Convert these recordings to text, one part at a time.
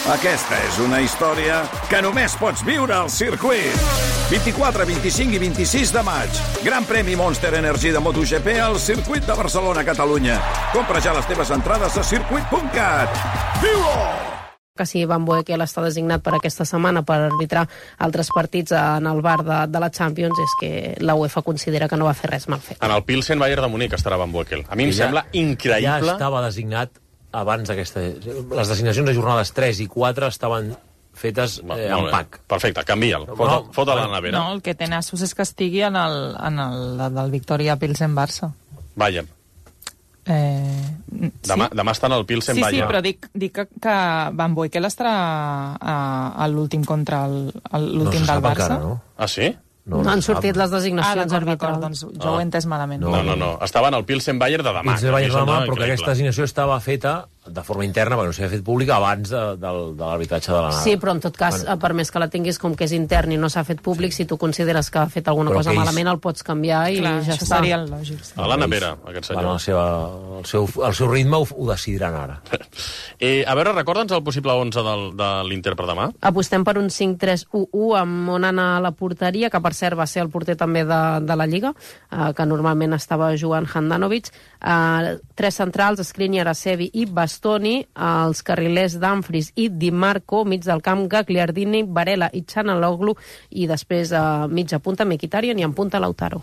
Aquesta és una història que només pots viure al circuit. 24, 25 i 26 de maig. Gran premi Monster Energy de MotoGP al circuit de Barcelona, Catalunya. Compra ja les teves entrades a circuit.cat. Viu-ho! Que si Van Boekel està designat per aquesta setmana per arbitrar altres partits en el bar de la Champions, és que la UEFA considera que no va fer res mal fet. En el Pilsen Bayern de Munic estarà Van Boekel. A mi em sembla increïble... Ja estava designat abans d'aquesta... Les designacions de jornades 3 i 4 estaven fetes en pack. Perfecte, canvia'l. Fot a la nevera. No, el que té nassos és que estigui en el del Victoria Pilsen-Barça. Bayern. Demà estan al Pilsen Bayern. Sí, però dic que Van Boekel estarà a l'últim contra l'últim del Barça. Encara, no? Ah, sí? No han sortit les designacions arbitrals. Doncs jo ho he entès malament. No. Estaven al Pilsen Bayern de demà. Pilsen Bayern de demà, però que aquesta designació estava feta de forma interna, perquè no s'havia fet pública abans de l'arbitratge de l'anada. Sí, però en tot cas, per més que la tinguis com que és intern i no s'ha fet públic, si tu consideres que ha fet alguna cosa malament, el pots canviar i ja està. Això seria el lògic. A la nevera, aquest senyor. El seu ritme ho decidiran ara. A veure, recorda'ns el possible 11 de l'Inter per demà. Apostem per un 5-3-1-1 amb Onana a la porteria, que per cert va ser el porter també de la Lliga, que normalment estava jugant Handanovic. Tres centrals, Skriniar, Acerbi i Bastoni, els carrilers Dumfries i Di Marco, mig del camp Gagliardini, Varela i Çalhanoğlu, i després a mitja punta Mkhitaryan i en punta Lautaro.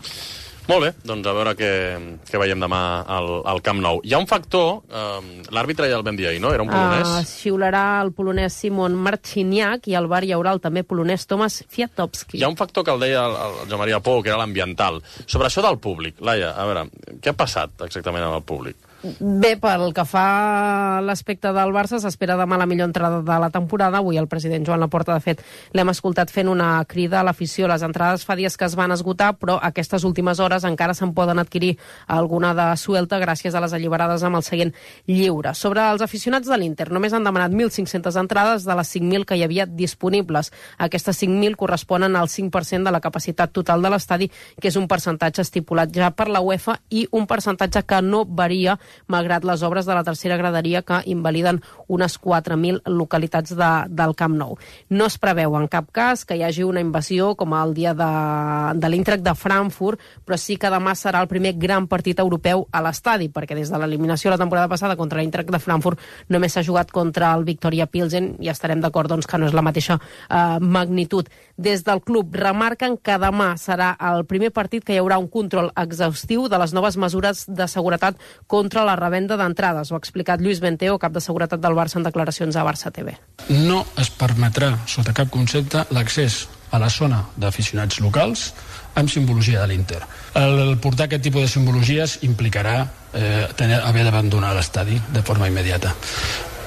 Molt bé, doncs a veure què veiem demà al Camp Nou. Hi ha un factor, l'àrbitre ja el vam dir ahir, no? Era un polonès? Xiularà el polonès Simon Marciniak i al bar hi haurà el també polonès Tomasz Kwiatkowski. Hi ha un factor que el deia el Joan Maria Pou, que era l'ambiental. Sobre això del públic, Laia, a veure, què ha passat exactament amb el públic? Bé, pel que fa a l'aspecte del Barça, s'espera demà la millor entrada de la temporada. Avui el president Joan Laporta, de fet, l'hem escoltat fent una crida a l'afició. Les entrades fa dies que es van esgotar, però aquestes últimes hores encara se'n poden adquirir alguna de suelta gràcies a les alliberades amb el seient lliure. Sobre els aficionats de l'Inter, només han demanat 1.500 entrades de les 5.000 que hi havia disponibles. Aquestes 5.000 corresponen al 5% de la capacitat total de l'estadi, que és un percentatge estipulat ja per la UEFA i un percentatge que no varia malgrat les obres de la tercera graderia que invaliden unes 4.000 localitats del Camp Nou. No es preveu en cap cas que hi hagi una invasió com el dia de l'Eintracht de Frankfurt, però sí que demà serà el primer gran partit europeu a l'estadi, perquè des de l'eliminació la temporada passada contra l'Eintracht de Frankfurt només s'ha jugat contra el Victoria Pilsen i estarem d'acord doncs, que no és la mateixa magnitud. Des del club remarquen que demà serà el primer partit que hi haurà un control exhaustiu de les noves mesures de seguretat contra la revenda d'entrades. Ho ha explicat Lluís Benteo, cap de seguretat del Barça, en declaracions a Barça TV. No es permetrà, sota cap concepte, l'accés a la zona d'aficionats locals amb simbologia de l'Inter. El portar aquest tipus de simbologies implicarà haver d'abandonar l'estadi de forma immediata.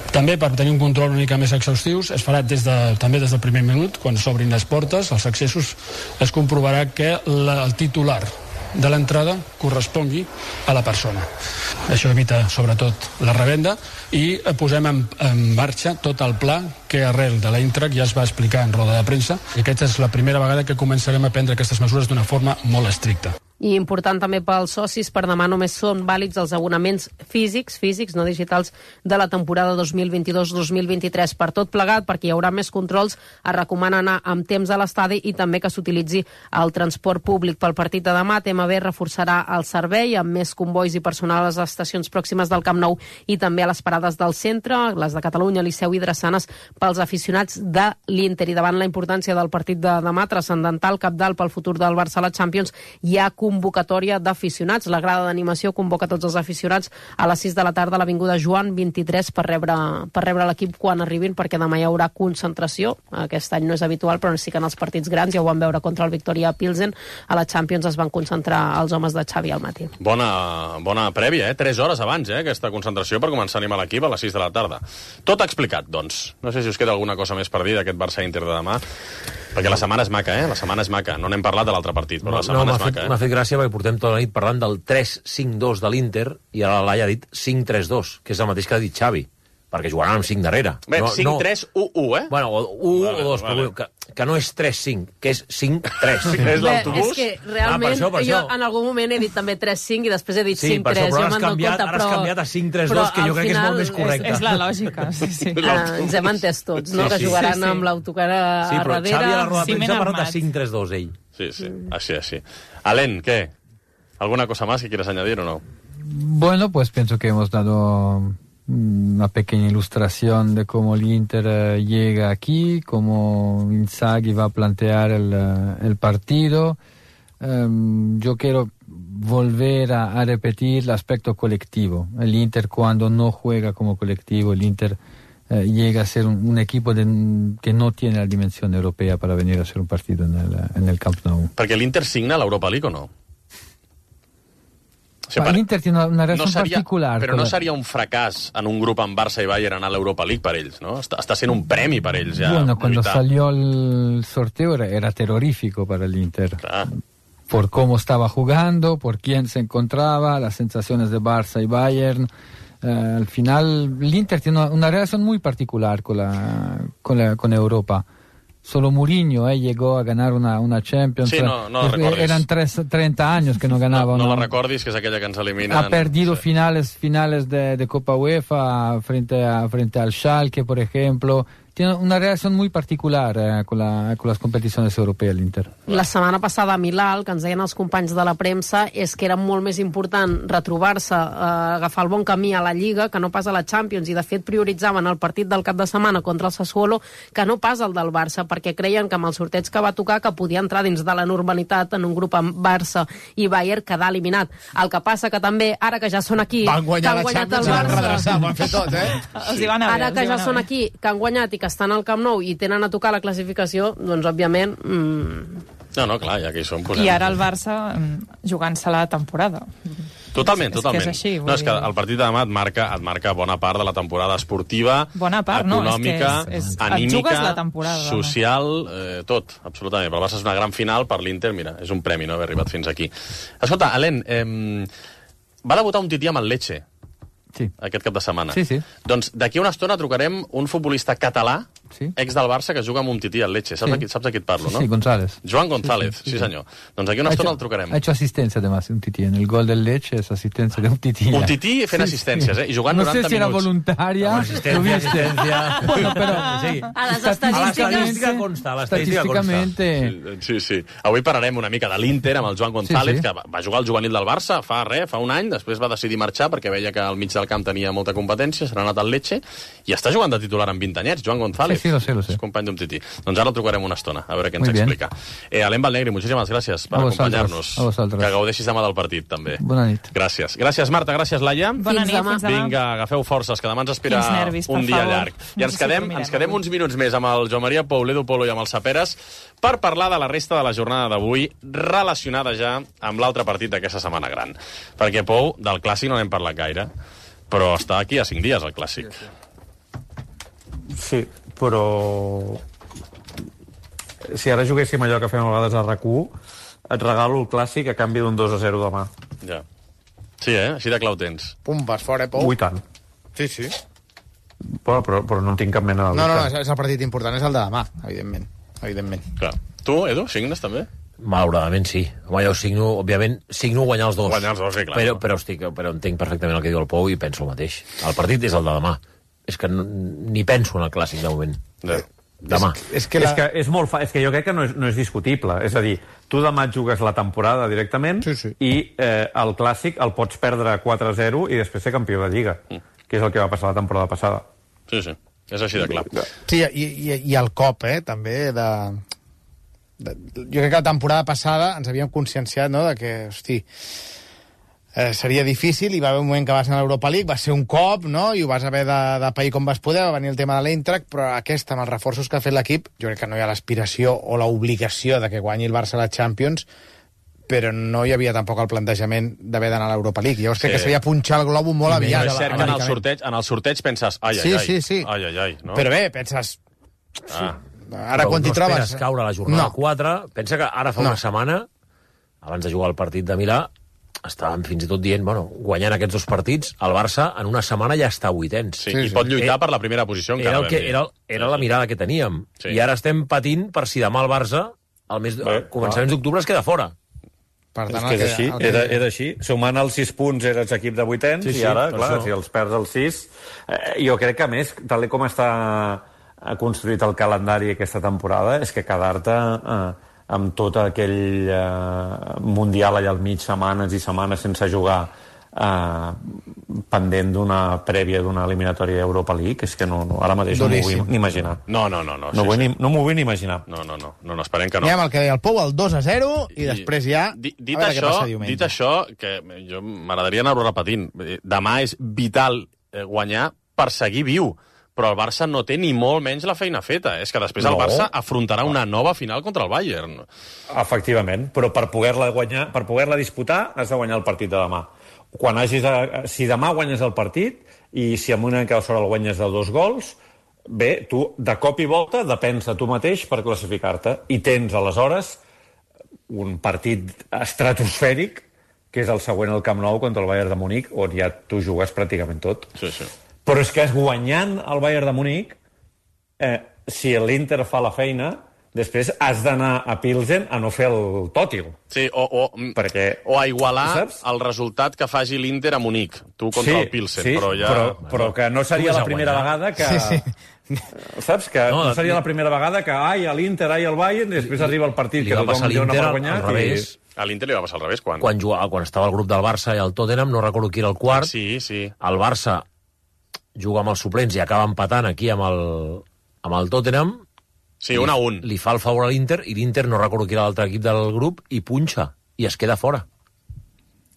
També, per tenir un control una mica més exhaustiu, es farà també des del primer minut, quan s'obrin les portes, els accessos, es comprovarà que el titular de l'entrada correspongui a la persona. Això evita, sobretot, la revenda i posem en marxa tot el pla que arrel de l'Eintracht ja es va explicar en roda de premsa i aquesta és la primera vegada que començarem a prendre aquestes mesures d'una forma molt estricta. I important també pels socis, per demà només són vàlids els abonaments físics, no digitals, de la temporada 2022-2023. Per tot plegat, perquè hi haurà més controls, es recomana anar amb temps a l'estadi i també que s'utilitzi el transport públic. Pel partit de demà, TMB reforçarà el servei amb més convois i personal a les estacions pròximes del Camp Nou i també a les parades del centre, les de Catalunya, Liceu i Drassanes, pels aficionats de l'Inter. I davant la importància del partit de demà, transcendental, cabdal pel futur del Barça a la Champions, hi ha convocatòria d'aficionats. La grada d'animació convoca tots els aficionats a les 6 de la tarda a l'Avinguda Joan 23 per rebre l'equip quan arribin, perquè demà hi haurà concentració. Aquest any no és habitual, però sí que en els partits grans, ja ho vam veure contra el Victoria Pilsen, a la Champions es van concentrar els homes de Xavi al matí. Bona prèvia, 3 hores abans, aquesta concentració per començar a animar l'equip a les 6 de la tarda. Tot explicat, doncs. No sé si us queda alguna cosa més per dir d'aquest Barça-Inter de demà, perquè la setmana és maca, La setmana és maca. No n'hem parlat de l'altre partit, però la setmana és maca, M'ha fet gràcia perquè portem tota la nit parlant del 3-5-2 de l'Inter i ara l'Alaia ha dit 5-3-2, que és el mateix que ha dit Xavi, perquè jugaran amb 5 darrere. Bé, 5-3-1-1, Bueno, 1 o 2, però que no és 3-5, que és 5-3. És l'autobús? És que realment per això. jo en algun moment he dit també 3-5 i després he dit 5-3. Sí, per això, però ara has canviat a 5-3-2, que jo crec que és molt més correcte. És la lògica, sí. Ens hem entès tots, no? Que jugaran amb l'autocar a darrere. Sí, però Xavi a la roda de Ciment premsa ha parlat armat. de 5-3-2, ell. Sí, així. Alen, ¿qué? ¿Alguna cosa más que quieras añadir o no? Bueno, pues pienso que hemos dado una pequeña ilustración de cómo el Inter llega aquí, cómo Inzaghi va a plantear el partido. Yo quiero volver a repetir el aspecto colectivo. El Inter cuando no juega como colectivo, el Inter llega a ser un equipo que no tiene la dimensión europea para venir a hacer un partido en el Camp Nou. Perquè l'Inter signa l'Europa League o no? O sigui, L'Inter tiene una relación particular. Però no seria un fracàs en un grup amb Barça i Bayern anar a l'Europa League per ells, no? Està sent un premi per ells, ja. Bueno, cuando salió el sorteo era terrorífico para el Inter. Por cómo estaba jugando, por quién se encontraba, las sensaciones de Barça y Bayern. Al final, el Inter tiene una relación muy particular con Europa. Solo Mourinho llegó a ganar una Champions. Sí, no la recordis. Eran 30 años que no ganaba. No la recordis, que és aquella que ens eliminen. Ha perdido finales de Copa UEFA frente al Schalke, por ejemplo. Tiene una relación muy particular con las competiciones europeas el Inter. La setmana passada a Milà, el que ens deien els companys de la premsa és que era molt més important retrobar-se, agafar el bon camí a la Lliga que no pas a la Champions, i de fet prioritzaven el partit del cap de setmana contra el Sassuolo que no pas el del Barça, perquè creien que amb el sorteig que va tocar que podia entrar dins de la normalitat en un grup amb Barça i Bayern quedar eliminat. El que passa que també, ara que ja són aquí, van guanyar la Champions i van redreçar, ho han fet tot, Els hi van a ara que ja són aquí, que han guanyat i que estan al Camp Nou i tenen a tocar la classificació, doncs òbviament... No, clar, ja que hi som... I ara el Barça jugant-se la temporada. Totalment. És que és així, no, és que el partit de demà et marca bona part de la temporada esportiva, bona part, econòmica, anímica, la temporada, social, tot, absolutament. Però el Barça és una gran final, per l'Inter, mira, és un premi no haver arribat fins aquí. Escolta, Alen, va debutar un tití amb el Lecce, aquest cap de setmana. Sí. Doncs d'aquí a una estona trucarem un futbolista català, ex del Barça, que juga amb un tití al Lecce. Saps a qui et parlo, no? Sí, González. Joan González, sí senyor. Doncs d'aquí a una estona el trucarem. Ha hecho asistencia, además, un tití. En el gol del Lecce es asistencia de un tití. Un tití fent assistències, I jugant 90 minuts. No sé si era voluntaria. Assistència. Bueno, però... A les estadístiques consta, estadísticamente... Sí. Avui parlarem una mica de l'Inter amb el Joan González, que va jugar al juvenil del Barça fa un any, després va decidir marxar perquè veia que al mig del camp tenia molta competència, se n'ha anat al Lecce, i està jugant de titular amb 20 anyets, Joan González. Sí, lo sé. És company d'un tití. Doncs ara el trucarem una estona, a veure què ens explica. Alen Valnegri, moltíssimes gràcies per acompanyar-nos. Que gaudeixis demà del partit, també. Bona nit. Gràcies. Gràcies, Marta. Gràcies, Laia. Bona nit, fins demà. Vinga, agafeu forces, que demà ens espera un dia llarg. I ens quedem uns minuts més amb el Joan Maria Pou, l'Edu Polo i amb el Saperes per parlar de la resta de la jornada d'avui, relacionada ja amb l'altre partit d'aquesta setmana gran. Perquè, Pou, del Clàssic no n'hem parlat gaire, però està aquí a 5 dies, el Clàssic. Sí, però... Si ara juguéssim allò que fem a vegades a RAC1, et regalo el Clàssic a canvi d'un 2-0 demà. Ja. Sí, així de clau tens. Pum, vas fora, Pou. Ui, tant. Sí. Però no tinc cap mena de... No, és el partit important, és el de demà, evidentment. Clar. Tu, Edu, signes també? Malauradament sí. Home, jo signo guanyar els dos. Guanyar els dos, sí, clar. Però entenc perfectament el que diu el Pou i penso el mateix. El partit és el de demà. És que ni penso en el Clàssic de moment. Demà. És que jo crec que no és discutible. És a dir, tu demà et jugues la temporada directament i el Clàssic el pots perdre 4-0 i després ser campió de Lliga, que és el que va passar la temporada passada. Sí. És així de clar. Sí, i el cop, també, jo crec que la temporada passada ens havíem conscienciat, no?, de que, hosti, seria difícil, i va haver un moment que vas anar a l'Europa League, va ser un cop, no?, i ho vas haver de pair com vas poder, va venir el tema de l'Eintracht, però aquesta, amb els reforços que ha fet l'equip, jo crec que no hi ha l'aspiració o l'obligació de que guanyi el Barça a la Champions, però no hi havia tampoc el plantejament d'haver d'anar a l'Europa League. Llavors crec que seria punxar el globo molt aviat. És cert que en el sorteig penses ai, no? Però bé, penses... Ara quan t'hi trobes... No esperes caure a la jornada 4. Pensa que ara fa una setmana, abans de jugar el partit de Milà, estàvem fins i tot dient, bueno, guanyant aquests 2 partits, el Barça en una setmana ja està a 8ens. Sí, i pot lluitar per la primera posició encara. Era la mirada que teníem. Sí. I ara estem patint per si demà el Barça, al començaments d'octubre, es queda fora. Per tant, és així, és així. Sumant els 6 punts eres equip de 8ens, i ara, clar, si els perds els 6... Jo crec que, a més, tal com està construït el calendari aquesta temporada, és que quedar-te amb tot aquell Mundial allà al mig, setmanes i setmanes sense jugar, pendent d'una prèvia d'una eliminatòria Europa League, és que ara mateix no m'ho vull ni imaginar. No m'ho vull ni imaginar. No, esperem que no. Anem al que deia el Pou, el 2-0, i després ja... Dit això, que jo m'agradaria anar-ho repetint, demà és vital guanyar per seguir viu, però el Barça no té ni molt menys la feina feta. És que després el Barça afrontarà una nova final contra el Bayern. Efectivament, però per poder-la disputar has de guanyar el partit de demà. Si demà guanyes el partit i si amb una mica de sort el guanyes de 2 gols, bé, tu de cop i volta depens de tu mateix per classificar-te i tens aleshores un partit estratosfèric que és el següent al Camp Nou contra el Bayern de Munic, on ja tu jugues pràcticament tot. Sí. Però és que guanyant el Bayern de Munic, si l'Inter fa la feina, després has d'anar a Pilsen a no fer el tòtil. Sí, o a igualar el resultat que faci l'Inter a Munic, tu contra el Pilsen. Sí, però que no seria la primera vegada que... Saps? Que no seria la primera vegada que l'Inter, el Bayern, i després arriba el partit que tothom dona per guanyar. A l'Inter li va passar al revés. Quan estava el grup del Barça i el Tottenham, no recordo qui era el quart, sí. El Barça juga amb els suplents i acaba empatant aquí amb el Tottenham. Sí, 1-1. Li fa el favor a l'Inter, i l'Inter, no recordo qui era l'altre equip del grup, i punxa, i es queda fora.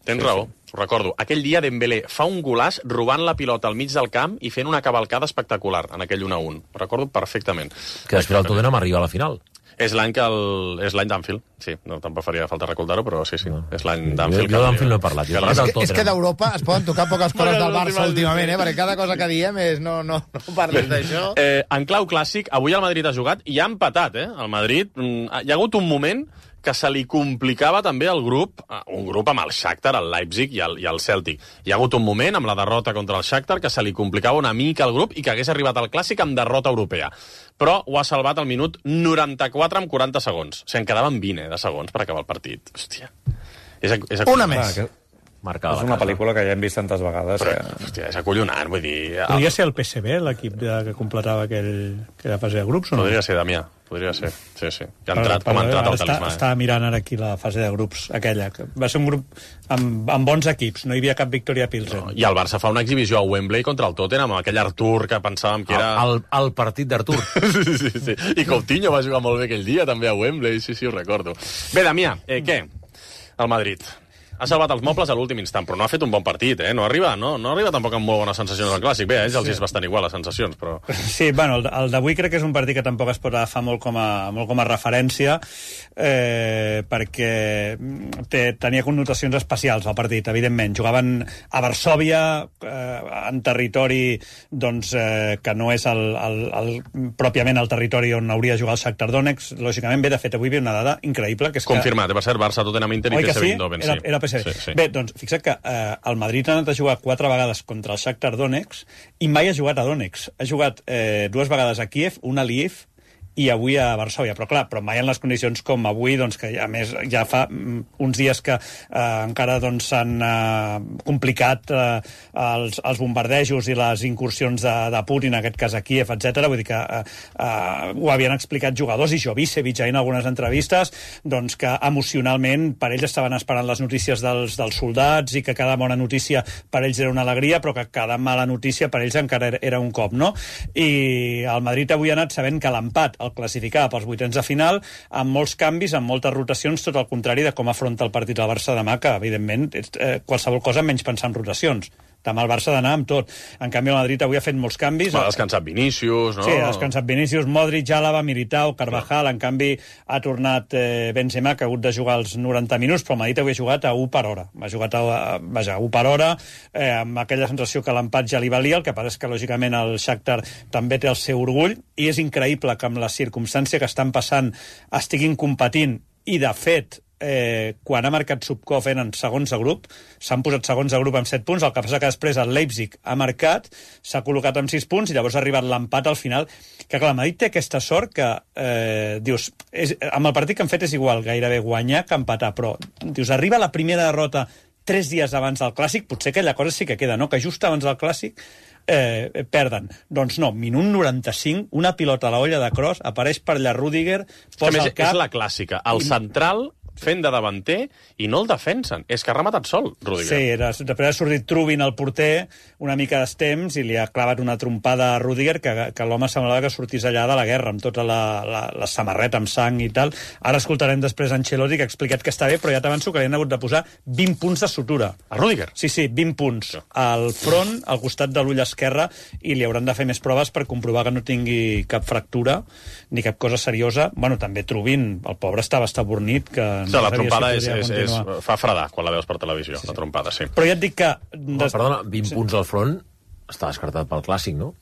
Tens raó, ho recordo. Aquell dia Dembélé fa un golaç robant la pilota al mig del camp i fent una cavalcada espectacular en aquell 1-1. Ho recordo perfectament. Que després el Tottenham arriba a la final. És l'any d'Anfield, sí. No, tampoc faria falta recordar-ho, però sí. És l'any d'Anfield. Jo d'Anfield no he parlat. És que d'Europa es poden tocar poques coses del Barça últimament, perquè cada cosa que diem és no parles d'això. En clau clàssic, avui el Madrid ha jugat i ha empatat, El Madrid, hi ha hagut un moment que se li complicava també el grup, un grup amb el Shakhtar, el Leipzig i el Celtic. Hi ha hagut un moment, amb la derrota contra el Shakhtar, que se li complicava una mica el grup i que hagués arribat al Clàssic amb derrota europea. Però ho ha salvat al minut 94 amb 40 segons. O sigui, en quedaven 20 de segons per acabar el partit. Hòstia. Una més. És una pel·lícula que ja hem vist tantes vegades. Hòstia, és acollonant, vull dir... Podria ser el PSV, l'equip que completava aquella fase de grups, o no? Podria ser, Damià. Podria ser, sí. Com ha entrat el talismà. Estava mirant ara aquí la fase de grups, aquella. Va ser un grup amb bons equips, no hi havia cap victòria a Pilsen. I el Barça fa una exhibició a Wembley contra el Tottenham, amb aquell Artur que pensàvem que era... El partit d'Artur. Sí. I Coutinho va jugar molt bé aquell dia, també a Wembley, sí, ho recordo. Bé, Damià, què? El Madrid ha salvat els mobles a l'últim instant, però no ha fet un bon partit, No arriba tampoc amb molt bones sensacions al Clàssic. Bé, ells els és bastant igual, les sensacions, però... Sí, bueno, el d'avui crec que és un partit que tampoc es pot agafar molt com a referència, perquè tenia connotacions especials al partit, evidentment. Jugaven a Varsòvia, en territori que no és pròpiament el territori on hauria de jugar el Shakhtar Donetsk. Lògicament, de fet, avui ve una dada increïble, que és confirmat, va ser Barça, Tottenham, Inter i PSV Eindhoven. Era PSV. Sí. Bé, doncs, fixa't que el Madrid ha anat a jugar 4 vegades contra el Shakhtar Donetsk i mai ha jugat a Donetsk. Ha jugat 2 vegades a Kíev, una a Lviv i avui a Varsòvia, però mai en les condicions com avui, que a més ja fa uns dies que encara s'han complicat els bombardejos i les incursions de Putin, en aquest cas a Kíev, etc. Vull dir que ho havien explicat jugadors, i Jovicevic en algunes entrevistes, que emocionalment per ells estaven esperant les notícies dels soldats i que cada bona notícia per ells era una alegria, però que cada mala notícia per ells encara era un cop, no? I el Madrid avui ha anat sabent que l'empat el classificava pels 8ens de final, amb molts canvis, amb moltes rotacions, tot el contrari de com afronta el partit del Barça demà, que, evidentment, qualsevol cosa menys pensar en rotacions. Demà el Barça ha d'anar amb tot. En canvi, el Madrid avui ha fet molts canvis. Ha descansat Vinícius, no? Sí, ha descansat Vinícius, Modric, Àlava, Militao, Carvajal. En canvi, ha tornat Benzema, que ha hagut de jugar els 90 minuts, però el Madrid avui ha jugat a 1 per hora. Ha jugat a 1 per hora, amb aquella sensació que l'empat ja li valia. El que passa és que, lògicament, el Shakhtar també té el seu orgull, i és increïble que amb la circumstància que estan passant estiguin competint, i, de fet, quan ha marcat Zubkov en segons de grup, s'han posat segons de grup amb 7 punts, el que passa que després el Leipzig ha marcat, s'ha col·locat amb 6 punts i llavors ha arribat l'empat al final, que clar, el Madrid té aquesta sort que dius, amb el partit que han fet és igual gairebé guanyar que empatar, però dius, arriba la primera derrota 3 dies abans del Clàssic, potser aquella cosa sí que queda, no? Que just abans del Clàssic perden. Doncs no, minut 95, una pilota a la olla de Kroos, apareix per allà Rüdiger, posa el cap... És la clàssica. El central fent de davanter i no el defensen. És que ha rematat sol, Rüdiger. Sí, després ha sortit Trubin, el porter, una mica d'estemps, i li ha clavat una trompada a Rüdiger que l'home semblava que sortís allà de la guerra, amb tota la samarreta amb sang i tal. Ara escoltarem després Ancelotti, que ha explicat que està bé, però ja t'avanço que li han hagut de posar 20 punts de sutura. A Rüdiger? Sí, 20 punts. Al front, al costat de l'ull esquerre, i li hauran de fer més proves per comprovar que no tingui cap fractura, ni cap cosa seriosa. Bueno, també Trubin, el pobre estava estabornit, que... Sí, la trompada fa fredar quan la veus per televisió, la trompada, sí. Però ja et dic que... Perdona, 20 punts al front està descartat pel Clàssic, no?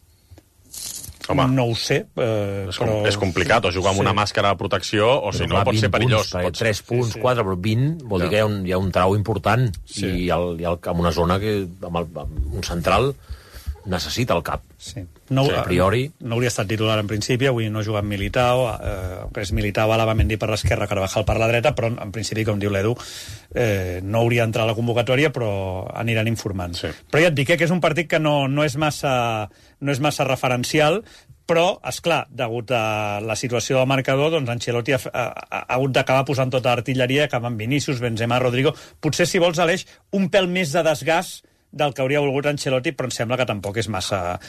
Home, no ho sé, però... És complicat, o jugar amb una màscara de protecció, o si no pot ser perillós. 3 punts, 4, però 20 vol dir que hi ha un trau important, i amb una zona que amb un central necessita el cap. Sí. A priori... No hauria estat titular en principi, avui no ha jugat Militao, que és Militao, Alaba, Mendy per l'esquerra, Carvajal per la dreta, però en principi, com diu l'Edu, no hauria d'entrar a la convocatòria, però aniran informant. Sí. Però ja et dic que és un partit que no és massa referencial, però, esclar, degut a la situació del marcador, doncs Ancelotti ha hagut d'acabar posant tota l'artilleria, acabant Vinícius, Benzema, Rodrigo... Potser, si vols, Aleix, un pèl més de desgast del que hauria volgut Ancelotti, però em sembla que tampoc és massa...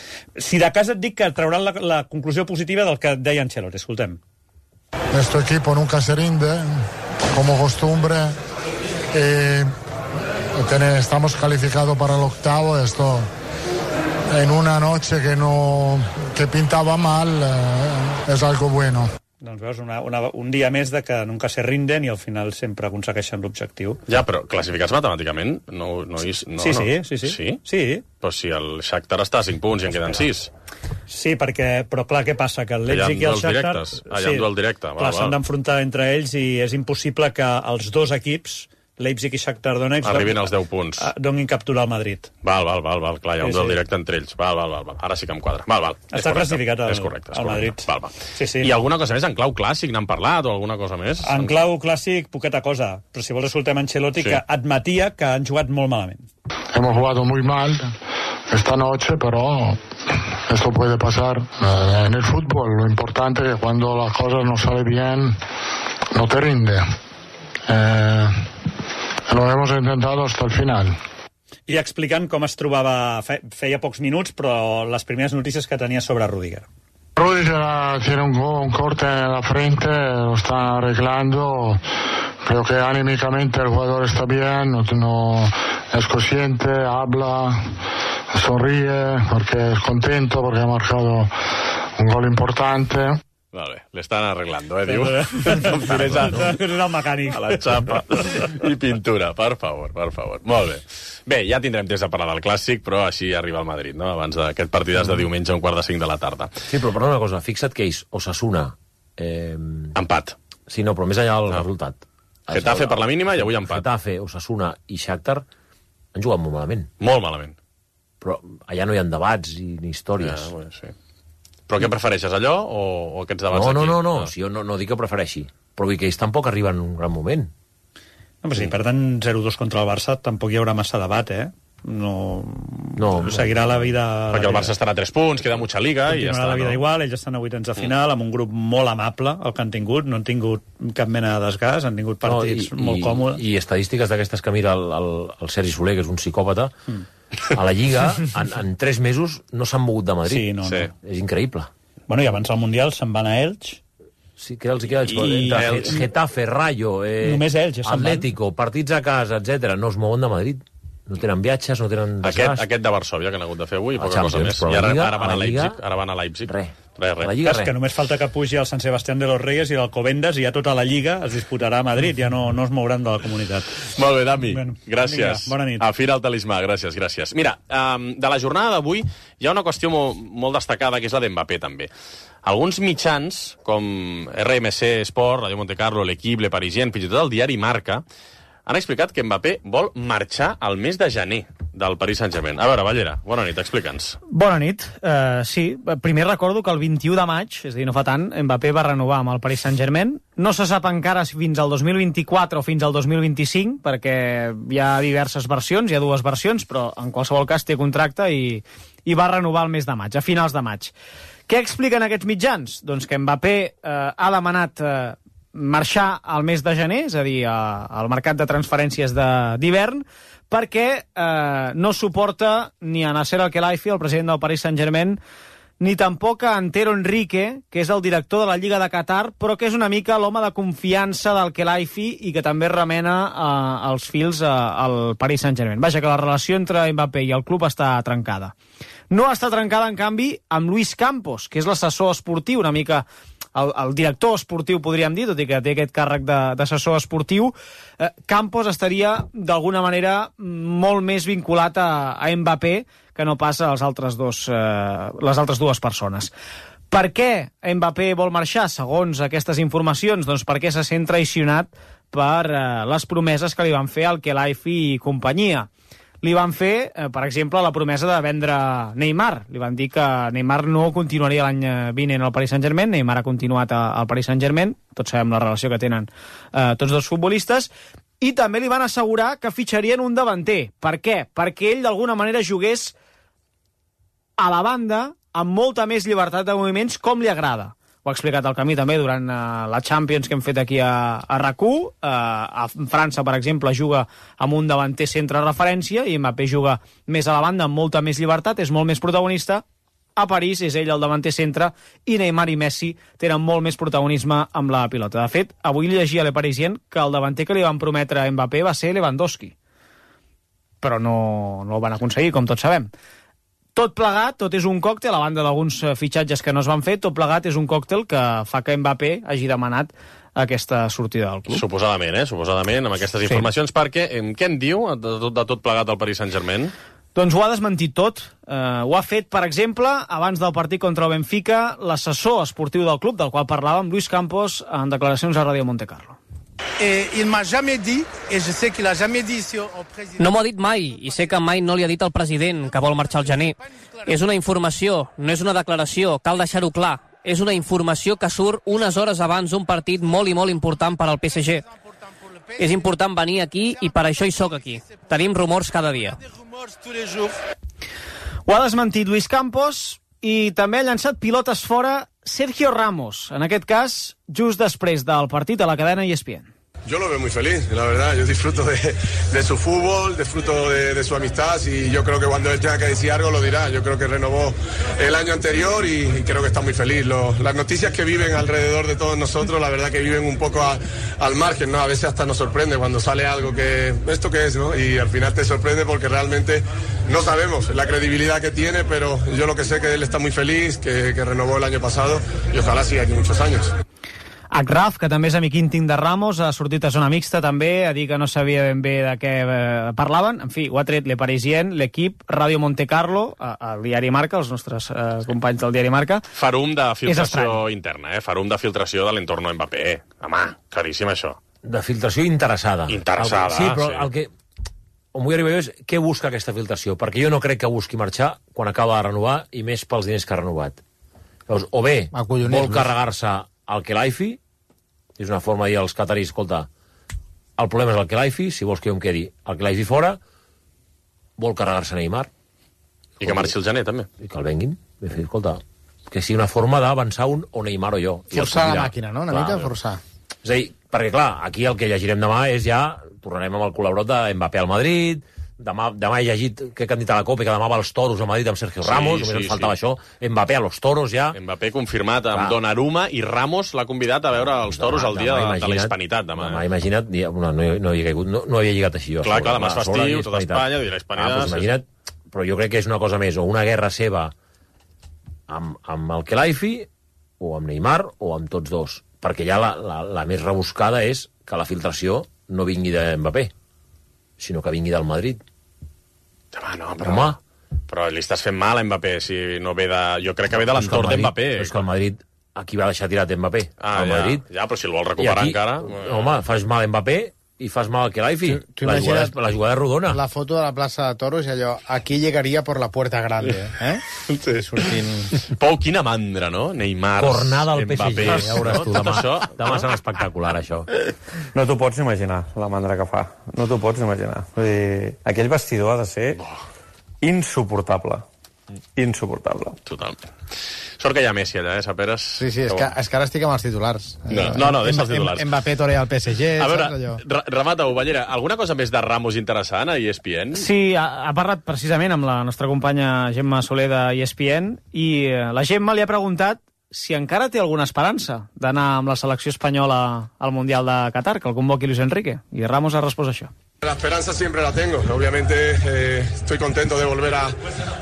Si de cas et dic que trauran la conclusió positiva del que deia Ancelotti. Escoltem. Nuestro equipo nunca se rinde, como costumbre, estamos calificados para el octavo. Esto en una noche que pintaba mal es algo bueno. Doncs veus, un dia més de que nunca se rinden i al final sempre aconsegueixen l'objectiu. Ja, però classificats matemàticament no. Sí. Però si el Shakhtar està a 5 punts i en queden 6. Sí, però clar, què passa? Que el Leipzig i el Shakhtar... Hi ha un duel directe. Clar, s'han d'enfrontar entre ells i és impossible que els dos equips, Leipzig i Shakhtar Donetsk, arribin als 10 punts. Donin captura al Madrid. Val. Clar, hi ha un duel directe entre ells. Val. Ara sí que em quadra. Val. Està classificat al Madrid. Val. Sí. I alguna cosa més? En clau clàssic n'han parlat o alguna cosa més? En clau clàssic, poqueta cosa. Però si vols escoltem Ancelotti, que admetia que han jugat molt malament. Hemos jugado muy mal esta noche, pero esto puede pasar en el fútbol. Lo importante es que cuando las cosas no salen bien, no te rinde. Lo hemos intentado hasta el final. I explicant com es trobava, feia pocs minuts, però les primeres notícies que tenia sobre Rüdiger. Rüdiger tiene un corte en la frente, lo están arreglando. Creo que anímicamente el jugador está bien, no es consciente, habla, sonríe, porque es contento, porque ha marcado un gol importante. Vale, l'estan arreglando, diu. És el mecànic. A la xapa i pintura, per favor. Molt bé. Bé, ja tindrem temps de parlar del Clàssic, però així arriba el Madrid, no? Abans d'aquest partidàs de diumenge a 4:45 de la tarda. Sí, però una cosa, fixa't que ells, Osasuna... Empat. Sí, no, però més allà del resultat. Getafe per la mínima i avui empat. Getafe, Osasuna i Shakhtar han jugat molt malament. Molt malament. Però allà no hi ha debats ni històries. Sí. Però què prefereixes, allò o aquests debats aquí? No. Si jo no dic que prefereixi. Però vull que ells tampoc arriben en un gran moment. No, però si perden 0-2 contra el Barça, tampoc hi haurà massa debat, No, seguirà la vida... Perquè el Barça estarà a 3 punts, queda mucha liga i ja està. La vida igual, ells estan a vuitens de final, amb un grup molt amable, el que han tingut, no han tingut cap mena de desgast, han tingut partits molt còmodes. I estadístiques d'aquestes que mira el Sergi Soler, que és un psicòpata, a la Lliga, en 3 mesos no s'han mogut de Madrid. Sí, no. És increïble. Bueno, i abans del Mundial se'n van a Elx. Sí, que els queda entre Getafe, Rayo, Atlético, partits a casa, etc. No es mouen de Madrid. No tenen viatges, no tenen desgast. Aquest de Varsòvia, que han hagut de fer avui, poca cosa més. I ara van a Leipzig. Res. Res. Que només falta que pugi el Sant Sebastián de los Reyes i l'Alcobendas i ja tota la Lliga es disputarà a Madrid, ja no es mouran de la comunitat. Molt bé, Dami, gràcies. Vinga, bona nit. Afina el talismà, gràcies. Mira, de la jornada d'avui hi ha una qüestió molt destacada, que és la d'Mbappé, també. Alguns mitjans, com RMC Sport, Radio Monte Carlo, l'Equip, Le Parisien, fins i tot el diari Marca, han explicat que Mbappé vol marxar al mes de gener del Paris Saint-Germain. A veure, Ballera, bona nit, explica'ns. Bona nit. Sí, primer recordo que el 21 de maig, és a dir, no fa tant, Mbappé va renovar amb el Paris Saint-Germain. No se sap encara si fins al 2024 o fins al 2025, perquè hi ha diverses versions, hi ha dues versions, però en qualsevol cas té contracte i va renovar el mes de maig, a finals de maig. Què expliquen aquests mitjans? Doncs que Mbappé ha demanat marxar al mes de gener, és a dir, al mercat de transferències d'hivern, perquè no suporta ni a Nasser Al-Khelaifi, el president del Paris Saint-Germain, ni tampoc a Antero Henrique, que és el director de la Lliga de Qatar, però que és una mica l'home de confiança del Khelaifi i que també remena els fils al Paris Saint-Germain. Vaja, que la relació entre Mbappé i el club està trencada. No està trencada, en canvi, amb Luis Campos, que és l'assessor esportiu, una mica el director esportiu, podríem dir, tot i que té aquest càrrec d'assessor esportiu. Campos estaria, d'alguna manera, molt més vinculat a Mbappé que no pas a les altres dues persones. Per què Mbappé vol marxar, segons aquestes informacions? Doncs perquè se sent traicionat per les promeses que li van fer al Khelaifi i companyia. Li van fer, per exemple, la promesa de vendre Neymar. Li van dir que Neymar no continuaria l'any vinent al Paris Saint-Germain. Neymar ha continuat al Paris Saint-Germain. Tots sabem la relació que tenen tots dos futbolistes. I també li van assegurar que fitxarien un davanter. Per què? Perquè ell, d'alguna manera, jugués a la banda amb molta més llibertat de moviments, com li agrada. Ho ha explicat al Camí també durant la Champions que hem fet aquí a RAC1. A França, per exemple, juga amb un davanter centre referència i Mbappé juga més a la banda amb molta més llibertat, és molt més protagonista. A París és ell el davanter centre i Neymar i Messi tenen molt més protagonisme amb la pilota. De fet, avui llegia a Le Parisien que el davanter que li van prometre a Mbappé va ser Lewandowski. Però no el van aconseguir, com tots sabem. Tot plegat, tot és un còctel, a banda d'alguns fitxatges que no es van fer, tot plegat és un còctel que fa que Mbappé hagi demanat aquesta sortida del club. Suposadament, amb aquestes informacions, perquè què en diu de tot plegat al Paris Saint-Germain? Doncs ho ha desmentit tot. Ho ha fet, per exemple, abans del partit contra el Benfica, l'assessor esportiu del club, del qual parlàvem, Luis Campos, en declaracions a Radio Monte Carlo. No m'ho ha dit mai, i sé que mai no li ha dit al president que vol marxar al gener. És una informació, no és una declaració, cal deixar-ho clar. És una informació que surt unes hores abans d'un partit molt i molt important per al PSG. És important venir aquí i per això hi sóc aquí. Tenim rumors cada dia. Ho ha desmentit Luis Campos i també ha llançat pilotes fora Sergio Ramos, en aquest cas just després del partit a la cadena ESPN. Yo lo veo muy feliz, la verdad. Yo disfruto de su fútbol, disfruto de su amistad y yo creo que cuando él tenga que decir algo lo dirá. Yo creo que renovó el año anterior y creo que está muy feliz. Las noticias que viven alrededor de todos nosotros, la verdad que viven un poco al margen, ¿no? A veces hasta nos sorprende cuando sale algo que, ¿esto qué es, no? Y al final te sorprende porque realmente no sabemos la credibilidad que tiene, pero yo lo que sé que él está muy feliz, que renovó el año pasado y ojalá siga aquí muchos años. Achraf, que també és amic íntim de Ramos, ha sortit a zona mixta també, a dir que no sabia ben bé de què parlaven. En fi, ho ha tret Le Parisien, l'Equip, Radio Monte Carlo, el diari Marca, els nostres companys del diari Marca. Farum de filtració interna, Farum de filtració de l'entorn Mbappé. Home, claríssim això. De filtració interessada. Interessada, sí. Però el que... On vull arribar és què busca aquesta filtració, perquè jo no crec que busqui marxar quan acaba de renovar i més pels diners que ha renovat. Llavors, o bé vol carregar-se el Khelaifi, és una forma de dir als cataris, escolta, el problema és el Khelaifi, si vols que jo em quedi el Khelaifi fora, vol carregar-se Neymar. I que marxi el gener, també. I que el venguin. Escolta, que sigui una forma d'avançar un o Neymar o jo. Forçar la màquina, no? Una mica forçar. És a dir, perquè clar, aquí el que llegirem demà és ja, tornarem amb el col·laborat de Mbappé al Madrid, demà he llegit que candidat a la Copa i que demà va als Toros a Madrid amb Sergio Ramos, només em faltava això, Mbappé a los Toros ja. Mbappé confirmat amb Donnarumma i Ramos l'ha convidat a veure els Toros el dia de la Hispanitat. Demà, imagina't, no havia lligat així jo. Clar, demà és festiu, tota Espanya, la Hispanitat. Imagina't, però jo crec que és una cosa més, o una guerra seva amb el Khelaifi, o amb Neymar, o amb tots dos. Perquè ja la més rebuscada és que la filtració no vingui de Mbappé, sinó que vingui del Madrid. Però li estàs fent mal a Mbappé, si no ve de... Jo crec que ve de l'entorn d'Mbappé. Però és que el Madrid, aquí va deixar tirat Mbappé. Madrid. Ja, però si el vol recuperar encara... Home, fas mal a Mbappé i fas mal al Khelaifi. La jugada rodona. La foto de la plaça de Toros i allò, aquí llegaria por la puerta grande, eh? Sí. Sortint... Pau, quina mandra, no? Neymar, Cornada al Mbappé. PSG, ja veuràs tu. Demà serà espectacular, això. No t'ho pots imaginar, la mandra que fa. No t'ho pots imaginar. Vull dir, aquell vestidor ha de ser insuportable. Insuportable. Totalment. Sort que hi ha Messi allà, Saperes? Sí, és que ara estic amb els titulars. No, deixa els titulars. Mbappé torea al PSG, a veure, remata-ho, Ballera. Alguna cosa més de Ramos interessant a ESPN? Sí, ha parlat precisament amb la nostra companya Gemma Soler de ESPN i la Gemma li ha preguntat si encara té alguna esperança d'anar amb la selecció espanyola al Mundial de Qatar, que el convoqui Luis Enrique. I Ramos ha respost això. La esperanza siempre la tengo. Obviamente estoy contento de volver a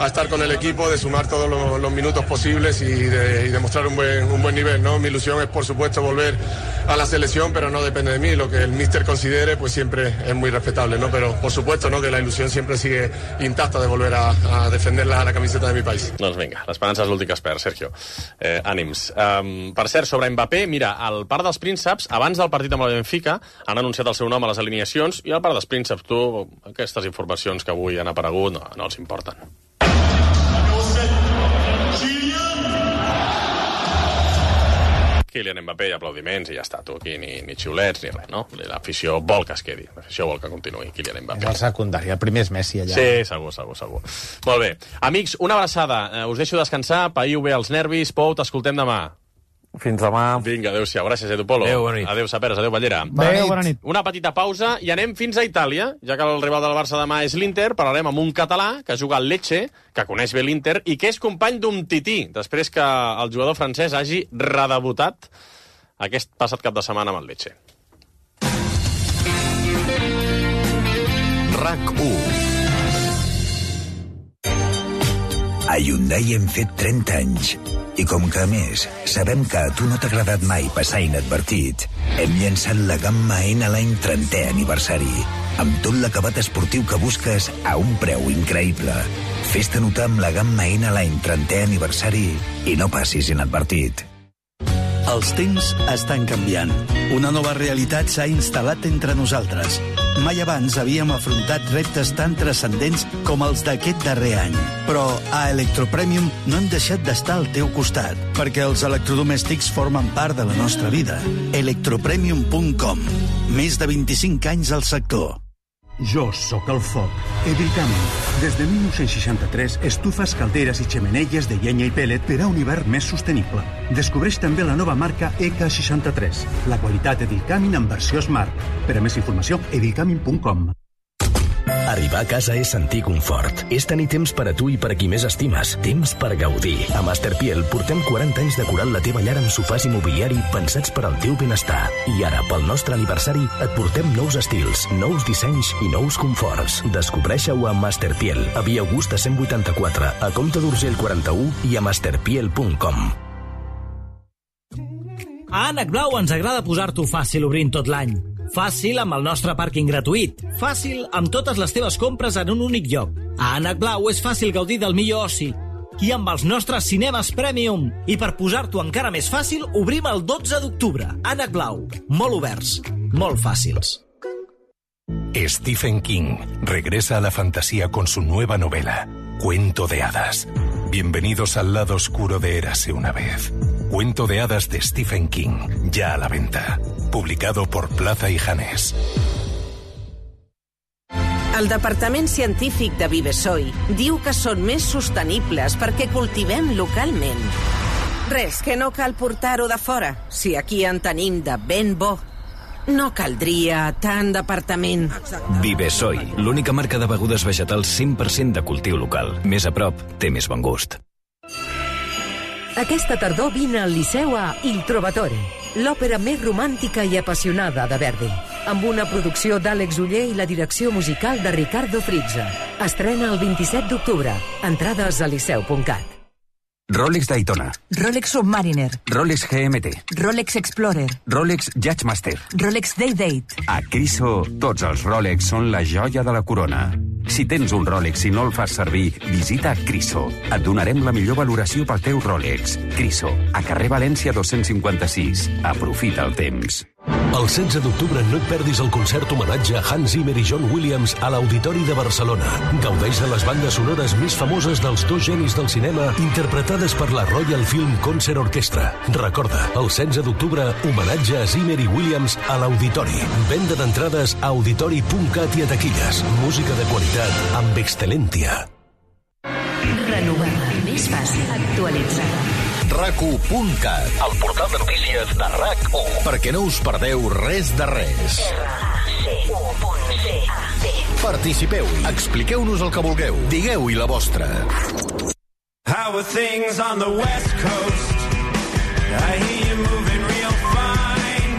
estar con el equipo, de sumar todos los minutos posibles y demostrar un buen nivel, ¿no? Mi ilusión es, por supuesto, volver a la selección, pero no depende de mí. Lo que el míster considere, pues siempre es muy respetable, ¿no? Pero, por supuesto, ¿no? Que la ilusión siempre sigue intacta de volver a defender la camiseta de mi país. Doncs vinga, l'esperança és l'últim que es perd, Sergio. Ànims. Per cert, sobre Mbappé, mira, al Parc dels Prínceps, abans del partit amb el Benfica, han anunciat el seu nom a les alineacions i al Parc dels Prínceps, tu, aquestes informacions que avui han aparegut no els importen. Kylian Mbappé i aplaudiments i ja està, tu aquí ni xiulets ni res, no? L'afició vol que es quedi, l'afició vol que continuï Kylian Mbappé. És el secundari, el primer és Messi allà. Sí, segur. Molt bé. Amics, una abraçada, us deixo descansar, païu bé els nervis, Pou, t'escoltem demà. Fins demà. Vinga, adéu-siau. Gràcies, Edu Polo. Adéu, bona nit. Adéu, Saperes. Adéu, Ballera. Bona nit. Una petita pausa i anem fins a Itàlia, ja que el rival del Barça demà és l'Inter. Parlarem amb un català que juga al Lecce, que coneix bé l'Inter i que és company d'un tití, després que el jugador francès hagi redebutat aquest passat cap de setmana amb el Lecce. RAC1. A Hyundai hem fet 30 anys. I com que, a més, sabem que a tu no t'ha agradat mai passar inadvertit, hem llançat la gamma N-Line 30è aniversari, amb tot l'acabat esportiu que busques a un preu increïble. Fes-te notar amb la gamma N-Line 30è aniversari i no passis inadvertit. Els temps estan canviant. Una nova realitat s'ha instal·lat entre nosaltres. Mai abans havíem afrontat reptes tan transcendents com els d'aquest darrer any. Però a Electropremium no hem deixat d'estar al teu costat, perquè els electrodomèstics formen part de la nostra vida. Electropremium.com. Més de 25 anys al sector. Jo sóc el foc. Evilcami. Des de 1963, estufes, calderes i xemeneies de llenya i pellet per a un hivern més sostenible. Descobreix també la nova marca EK63. La qualitat Evilcami en versió Smart. Per a més informació, evilcami.com. Arribar a casa és sentir confort. És tenir temps per a tu i per a qui més estimes. Temps per gaudir. A Masterpiel portem 40 anys decorant la teva llar amb sofàs i mobiliari pensats per al teu benestar. I ara, pel nostre aniversari, et portem nous estils, nous dissenys i nous conforts. Descobreix-ho a Masterpiel, a Via Augusta 184, a Comte d'Urgell 41 i a masterpiel.com. A Ànec Blau ens agrada posar-t'ho fàcil obrint tot l'any. Fàcil amb el nostre pàrquing gratuït. Fàcil amb totes les teves compres en un únic lloc. A Ànec Blau és fàcil gaudir del millor oci. I amb els nostres cinemes Premium. I per posar-t'ho encara més fàcil, obrim el 12 d'octubre. Ànec Blau. Molt oberts. Molt fàcils. Stephen King regresa a la fantasía con su nueva novela, Cuento de Hadas. Bienvenidos al lado oscuro de Érase una vez. Cuento de Hadas de Stephen King, ya a la venta. Publicado por Plaza y Janés. El Departament Científic de Vivesoi diu que són més sostenibles perquè cultivem localment. Res, que no cal portar-ho de fora, si aquí en tenim de ben bo. No caldria tant departament. Vivesoi, l'única marca de begudes vegetals 100% de cultiu local. Més a prop, té més bon gust. Aquesta tardor vine al Liceu a Il Trovatore, l'òpera més romàntica i apassionada de Verdi, amb una producció d'Àlex Oller i la direcció musical de Ricardo Frizza. Estrena el 27 d'octubre. Entrades a liceu.cat. Rolex Daytona. Rolex Submariner. Rolex GMT. Rolex Explorer. Rolex Judgemaster. Rolex Day-Date. A Criso, tots els Rolex són la joia de la corona. Si tens un Rolex i no el fas servir, visita Criso. Et donarem la millor valoració pel teu Rolex. Criso, a carrer València 256. Aprofita el temps. El 16 d'octubre no et perdis el concert homenatge a Hans Zimmer i John Williams a l'Auditori de Barcelona. Gaudeix de les bandes sonores més famoses dels dos genis del cinema interpretades per la Royal Film Concert Orchestra. Recorda, el 16 d'octubre, homenatge a Zimmer i Williams a l'Auditori. Venda d'entrades a auditori.cat i a taquilles. Música de qualitat amb excel·lència. Renovada, més fàcil, actualitzada. RAC1.cat, el portal de notícies de RAC1. Perquè no us perdeu res de res. Participeu, expliqueu-nos el que vulgueu, digueu-hi la vostra. How are things on the West Coast? I hear you moving real fine.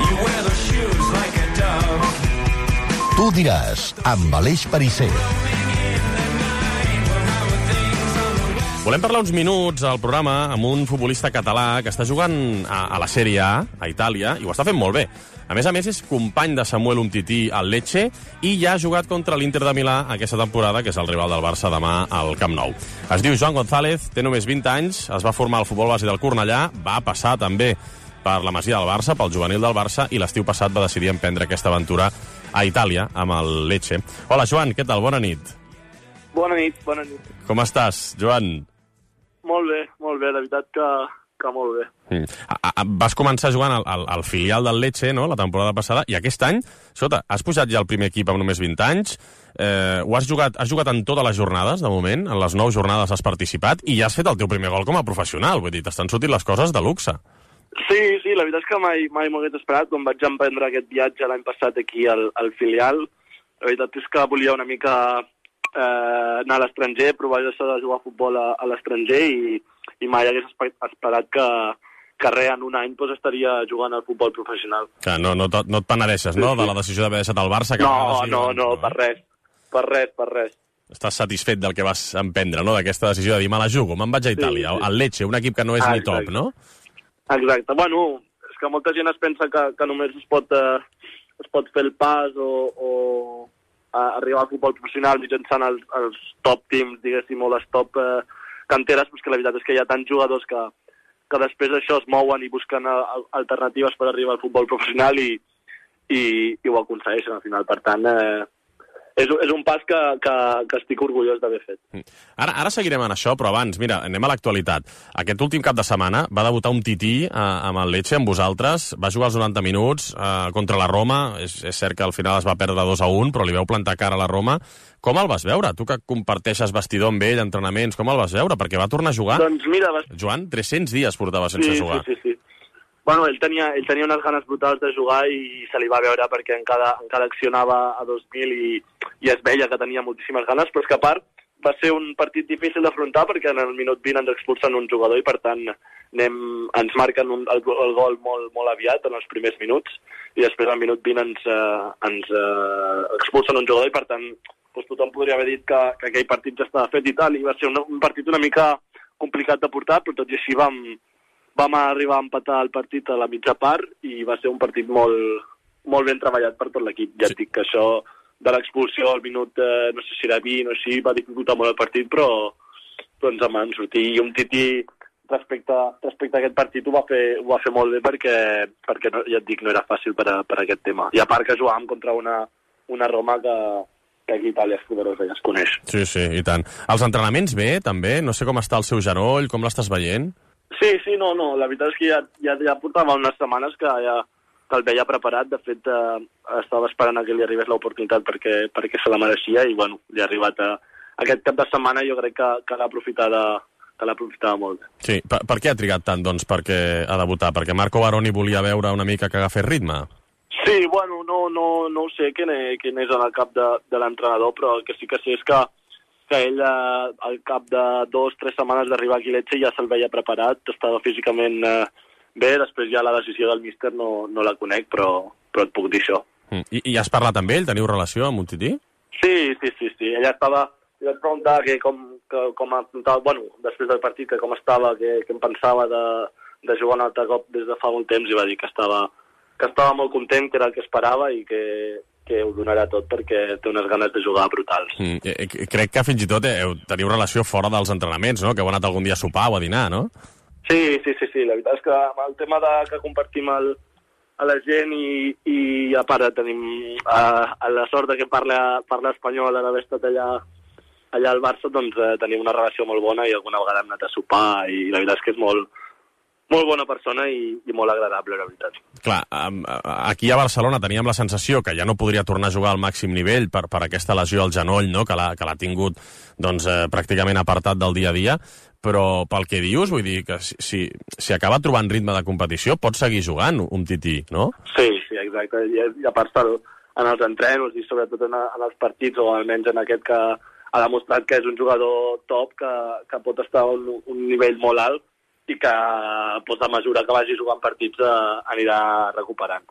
You wear those shoes like a dove. Tu diràs, amb Aleix Perisser. Volem parlar uns minuts al programa amb un futbolista català que està jugant a la Sèrie A, a Itàlia, i ho està fent molt bé. A més, és company de Samuel Umtiti al Lecce i ja ha jugat contra l'Inter de Milà aquesta temporada, que és el rival del Barça demà al Camp Nou. Es diu Joan González, té només 20 anys, es va formar al futbol base del Cornellà, va passar també per la Masia del Barça, pel juvenil del Barça, i l'estiu passat va decidir emprendre aquesta aventura a Itàlia amb el Lecce. Hola, Joan, què tal? Bona nit. Bona nit, bona nit. Com estàs, Joan? Molt bé, la veritat que molt bé. Vas començar jugant al filial del Lecce, no?, la temporada passada, i aquest any, has pujat ja al primer equip amb només 20 anys, has jugat en totes les jornades, de moment, en les 9 jornades has participat, i ja has fet el teu primer gol com a professional, vull dir, t'estan sortint les coses de luxe. Sí, la veritat és que mai m'ho hagués esperat, quan vaig emprendre aquest viatge l'any passat aquí al filial, la veritat és que volia una mica anar a l'estranger, provar això de jugar a futbol a l'estranger i mai hagués esperat que en un any estaria jugant al futbol professional. Clar, no et penedeixes, no?, de la decisió d'haver deixat el Barça? No, per res. Estàs satisfet del que vas emprendre, no?, d'aquesta decisió de dir, me la jugo, me'n vaig a Itàlia, al Lecce, un equip que no és ni top, no? Exacte. Bueno, és que molta gent es pensa que només es pot fer el pas o arribar al futbol professional mitjançant els top teams, diguéssim, o les top canteres, però que la veritat és que hi ha tants jugadors que després d'això es mouen i busquen alternatives per arribar al futbol professional i ho aconsegueixen al final. Per tant, és un pas que estic orgullós d'haver fet. Ara seguirem en això, però abans, mira, anem a l'actualitat. Aquest últim cap de setmana va debutar Umtiti amb el Lecce, amb vosaltres, va jugar els 90 minuts contra la Roma, és cert que al final es va perdre 2-1, però li veu plantar cara a la Roma. Com el vas veure? Tu que comparteixes vestidor amb ell, entrenaments, com el vas veure? Perquè va tornar a jugar. Doncs mira... Joan, 300 dies portava sense jugar. Sí. Bueno, ell tenia unes ganes brutals de jugar i se li va veure perquè encara accionava a 2000 i es veia que tenia moltíssimes ganes, però és que a part va ser un partit difícil d'afrontar perquè en el minut 20 ens expulsen un jugador i per tant ens marquen el gol molt aviat en els primers minuts i després al minut 20 ens expulsen un jugador i per tant tothom podria haver dit que aquell partit ja estava fet i tal, i va ser un partit una mica complicat de portar, però tot i així vam arribar a empatar el partit a la mitja part i va ser un partit molt ben treballat per tot l'equip. Ja et dic que això de l'expulsió al minut, no sé si era 20 o així, va dificultar molt el partit, però ens en van sortir. I Umtiti, respecte a aquest partit, ho va fer molt bé perquè no, ja et dic, no era fàcil per aquest tema. I a part que jugàvem contra una Roma que aquí a Itàlia és poderosa i es coneix. Sí, i tant. Els entrenaments bé, també? No sé com està el seu genoll, com l'estàs veient? Sí, no, la veritat és que ja portava unes setmanes que el veia preparat. De fet, estava esperant que li arribés l'oportunitat perquè se la mereixia i, bueno, li ha arribat aquest cap de setmana. Jo crec que l'ha aprofitada molt. Sí, per què ha trigat tant, doncs, a debutar? Perquè Marco Baroni volia veure una mica que agafés ritme? Sí, bueno, no ho sé quin és en el cap de l'entrenador, però el que sí que sé és que ell al cap de 2-3 setmanes d'arribar aquí a Lecce ja se'l veia preparat, estava físicament bé, després ja la decisió del míster no la conec, però et puc dir això. I has parlat amb ell? Teniu relació amb Umtiti? Sí. Ella li vaig preguntar com després del partit, que com estava, que em pensava de jugar un altre cop des de fa molt temps, i va dir que estava molt content, que era el que esperava i que ho donarà tot perquè té unes ganes de jugar brutals. Crec que fins i tot teniu relació fora dels entrenaments, no? Que heu anat algun dia a sopar o a dinar, no? Sí, la veritat és que el tema que compartim a la gent i a part tenim la sort de que parla espanyol, d'haver estat allà al Barça, doncs tenim una relació molt bona i alguna vegada hem anat a sopar i la veritat és que és molt bona persona i molt agradable, la veritat. Clar, aquí a Barcelona teníem la sensació que ja no podria tornar a jugar al màxim nivell per aquesta lesió al genoll, no? que l'ha tingut doncs, pràcticament apartat del dia a dia, però pel que dius, vull dir que si acaba trobant ritme de competició pot seguir jugant un tití, no? Sí, exacte. I a part en els entrenos i sobretot en els partits, o almenys en aquest que ha demostrat que és un jugador top, que pot estar a un nivell molt alt i que a mesura que vagi jugant partits anirà recuperant.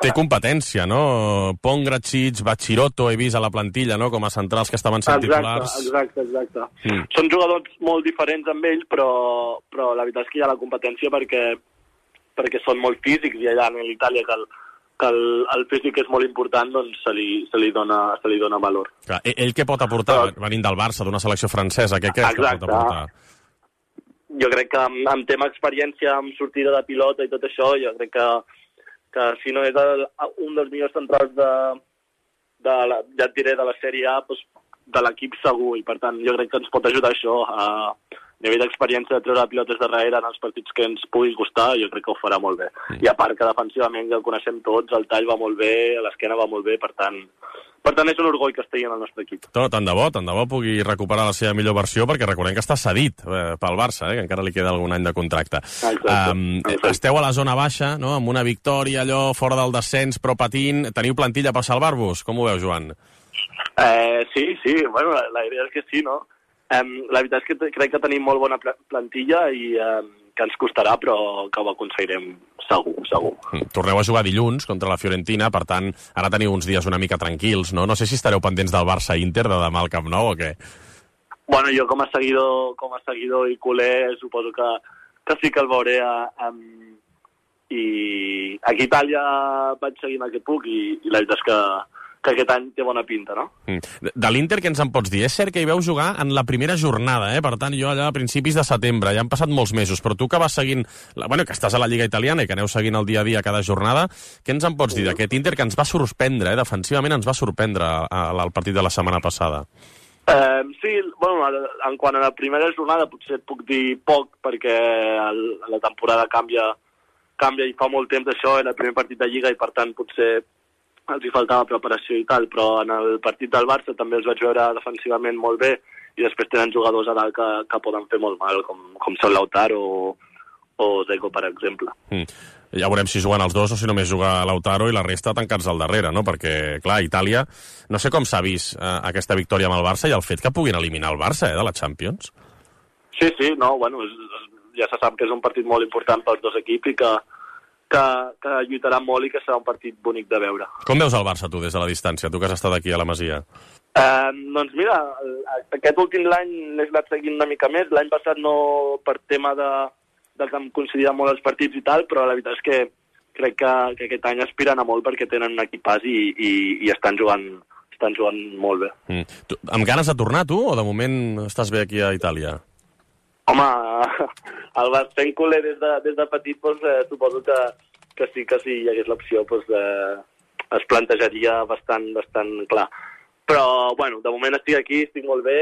Té competència, no? Pongracic, Bachiroto, he vist a la plantilla, no? Com a centrals que estaven sent titulars. Exacte. Són jugadors molt diferents amb ell, però la veritat és que hi ha la competència perquè són molt físics i allà en l'Itàlia que el físic és molt important, doncs se li dona valor. Clar, ell què pot aportar, venint del Barça, d'una selecció francesa? Què creus que pot aportar? Jo crec que amb tema experiència, amb sortida de pilota i tot això, jo crec que si no és un dels millors centrals ja et diré, de la Sèrie A, doncs de l'equip segur, i per tant jo crec que ens pot ajudar això a nivell d'experiència de treure pilotes darrere en els partits que ens pugui costar, jo crec que ho farà molt bé. I a part que defensivament ja el coneixem tots, el tall va molt bé, l'esquena va molt bé, per tant és un orgull que estigui en el nostre equip. Tant de bo pugui recuperar la seva millor versió, perquè recordem que està cedit pel Barça, que encara li queda algun any de contracte. Esteu a la zona baixa, no? Amb una victòria, allò fora del descens, però patint. Teniu plantilla per salvar-vos? Com ho veu, Joan? Sí, bueno, la idea és que sí, no? La veritat és que crec que tenim molt bona plantilla i que ens costarà, però que ho aconseguirem segur. Torneu a jugar dilluns contra la Fiorentina, per tant, ara teniu uns dies una mica tranquils, no? No sé si estareu pendents del Barça-Inter de demà al Camp Nou o què? Bueno, jo com a seguidor i culer suposo que sí que el veuré i aquí a Itàlia vaig seguint el que puc i la veritat és que aquest any té bona pinta, no? De l'Inter, què ens en pots dir? És cert que hi veu jugar en la primera jornada, per tant, jo allà a principis de setembre, ja han passat molts mesos, però tu que vas seguint, que estàs a la Lliga Italiana i que aneu seguint el dia a dia cada jornada, què ens en pots dir d'aquest Inter que ens va sorprendre, defensivament ens va sorprendre al partit de la setmana passada? Sí, bueno, en quant a la primera jornada potser et puc dir poc, perquè la temporada canvia i fa molt temps d'això, era el primer partit de Lliga i per tant potser els hi faltava preparació i tal, però en el partit del Barça també els vaig veure defensivament molt bé i després tenen jugadors a dalt que poden fer molt mal, com són Lautaro o Dzeko, per exemple. Ja veurem si juguen els dos o si només juga Lautaro i la resta tancats al darrere, no? Perquè, clar, Itàlia, no sé com s'ha vist aquesta victòria amb el Barça i el fet que puguin eliminar el Barça, de la Champions. Sí, no, bueno, ja se sap que és un partit molt important pels dos equips i que lluitarà molt i que serà un partit bonic de veure. Com veus el Barça, tu, des de la distància, tu que has estat aquí a la Masia? Doncs mira, aquest últim l'any l'he anat seguint una mica més. L'any passat no, per tema de que em coincidien molt els partits i tal, però la veritat és que crec que aquest any aspiren a molt perquè tenen un equipàs i estan jugant molt bé. Amb ganes de tornar, tu, o de moment estàs bé aquí a Itàlia? Home, el fent culer des de petit, doncs, suposo que sí hi hagués l'opció, doncs, es plantejaria bastant clar. Però, bueno, de moment estic aquí, estic molt bé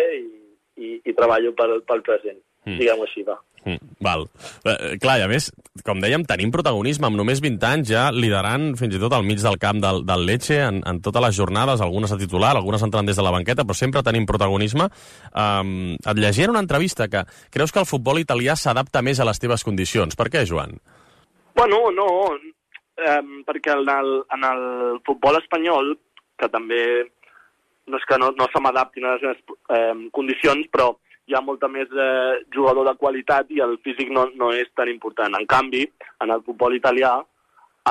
i treballo pel present, diguem-ho així, va. Val. Clar, i a més, com dèiem, tenim protagonisme amb només 20 anys ja liderant fins i tot al mig del camp del Lecce en totes les jornades, algunes a titular, algunes entrant des de la banqueta, però sempre tenim protagonisme. Et llegia en una entrevista que creus que el futbol italià s'adapta més a les teves condicions. Per què, Joan? Bueno, no, perquè en el futbol espanyol, que també no és que no se m'adaptin a les meves condicions, però hi ha molta més jugador de qualitat i el físic no és tan important. En canvi, en el futbol italià,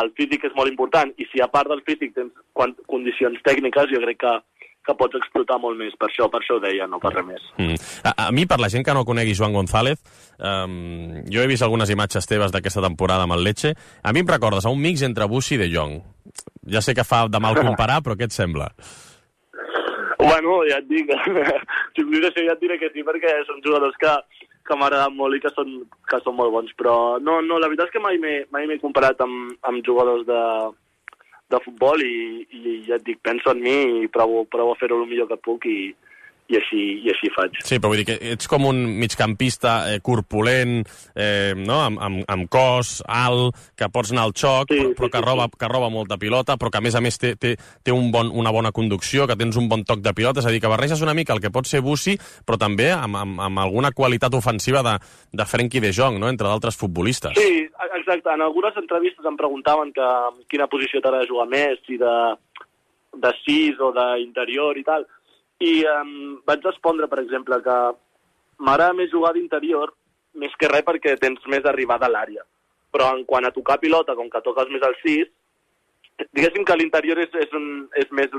el físic és molt important i si a part del físic tens condicions tècniques, jo crec que pots explotar molt més. Per això ho deia, no per res més. A mi, per la gent que no conegui Joan González, jo he vist algunes imatges teves d'aquesta temporada amb el Lecce. A mi em recordes a un mix entre Busi i De Jong. Ja sé que fa de mal comparar, però què et sembla? Bueno, ja et dic, si em dius això ja et diré que sí, perquè són jugadors que m'agraden molt i que són molt bons, però no, la veritat és que mai m'he comparat amb jugadors de futbol i ja et dic, penso en mi i provo a fer-ho el millor que puc i així faig. Sí, però vull dir que ets com un migcampista corpulent, no? amb cos, alt, que pots anar al xoc, però que roba molta pilota, però que a més té una bona conducció, que tens un bon toc de pilota, és a dir, que barreges una mica el que pot ser Busi, però també amb alguna qualitat ofensiva de Frenkie de Jong, no? Entre d'altres futbolistes. Sí, exacte. En algunes entrevistes em preguntaven que quina posició t'agrada jugar més, si de 6 o d'interior i tal. I vaig respondre, per exemple, que m'agrada més jugar d'interior, més que res perquè tens més arribada a l'àrea. Però en quant a tocar pilota, com que toques més al 6, diguéssim que l'interior és més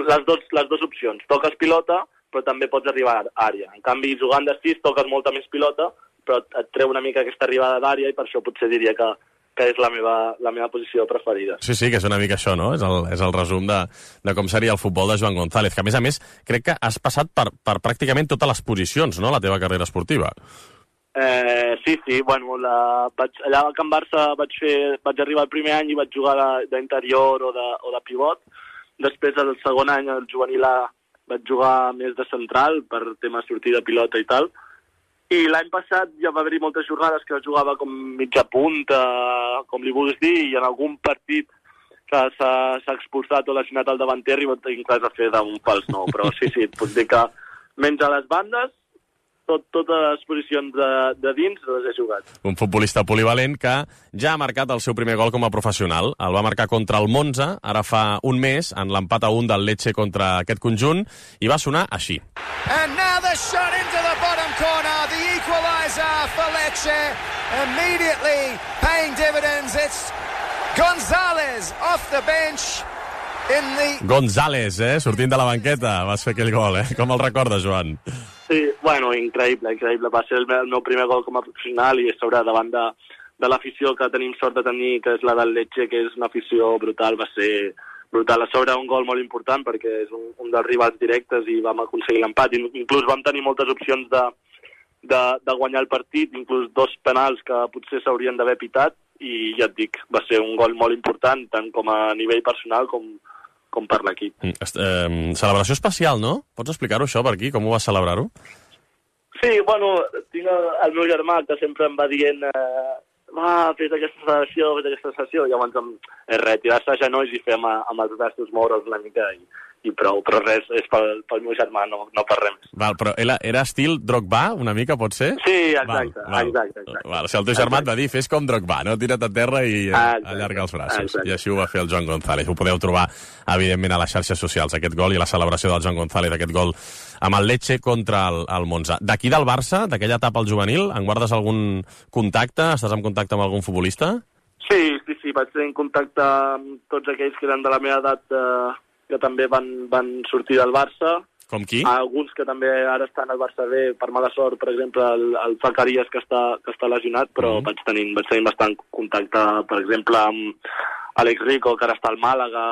les dues opcions. Toques pilota, però també pots arribar a àrea. En canvi, jugant de 6, toques molta més pilota, però et treu una mica aquesta arribada d'àrea i per això potser diria que és la meva posició preferida. Sí, que és una mica això, no? És el resum de com seria el futbol de Joan González, que a més crec que has passat per pràcticament totes les posicions, no?, la teva carrera esportiva. Sí, bueno, allà a Can Barça vaig arribar el primer any i vaig jugar d'interior o de pivot. Després, el segon any, al juvenil A, vaig jugar més de central per temes sortida de pilota i tal. I l'any passat ja va haver-hi moltes jornades que jugava com mitja punta, com li vulguis dir, i en algun partit que s'ha expulsat o lesionat el davanter i inclús a fer d'un fals nou. Però sí, et puc dir que menys a les bandes, totes les posicions de dins les he jugat. Un futbolista polivalent que ja ha marcat el seu primer gol com a professional. El va marcar contra el Monza, ara fa un mes, en l'empat a 1 del Lecce contra aquest conjunt, i va sonar així. And now the shot into the bottom corner, the equaliser for Lecce, immediately paying dividends. It's González off the bench. González, sortint de la banqueta, vas fer aquell gol, Com el recordes, Joan? Sí, bueno, increïble. Va ser el meu primer gol com a professional i sobre davant de l'afició que tenim sort de tenir, que és la del Lecce, que és una afició brutal, va ser brutal. A sobre un gol molt important perquè és un dels rivals directes i vam aconseguir l'empat. Inclús vam tenir moltes opcions de guanyar el partit, inclús 2 penals que potser s'haurien d'haver pitat i ja et dic, va ser un gol molt important, tant com a nivell personal com per l'equip. Celebració especial, no? Pots explicar-ho això per aquí? Com ho vas celebrar-ho? Sí, bueno, tinc el meu germà que sempre em va dient fes aquesta celebració, i llavors tirar-se a genolls i fer amb els braços moure'ls una mica i prou, però res, és pel meu germà, no per res més. Val, però era estil Drogba, una mica, pot ser? Sí, exacte. Val, si el teu germà et va dir, fes com Drogba, no? Tira't a terra i allarga els braços. Exacte. I així ho va fer el Joan González. Ho podeu trobar, evidentment, a les xarxes socials, aquest gol i la celebració del Joan González, aquest gol amb el Lecce contra el Monza. D'aquí del Barça, d'aquella etapa al juvenil, en guardes algun contacte? Estàs en contacte amb algun futbolista? Sí, vaig tenir contacte amb tots aquells que eren de la meva edat que també van sortir del Barça. Com qui? Alguns que també ara estan al Barça B, per mala sort, per exemple, el Zacarías, que està lesionat, però vaig tenir bastant contacte, per exemple, amb Alex Rico, que ara està al Màlaga,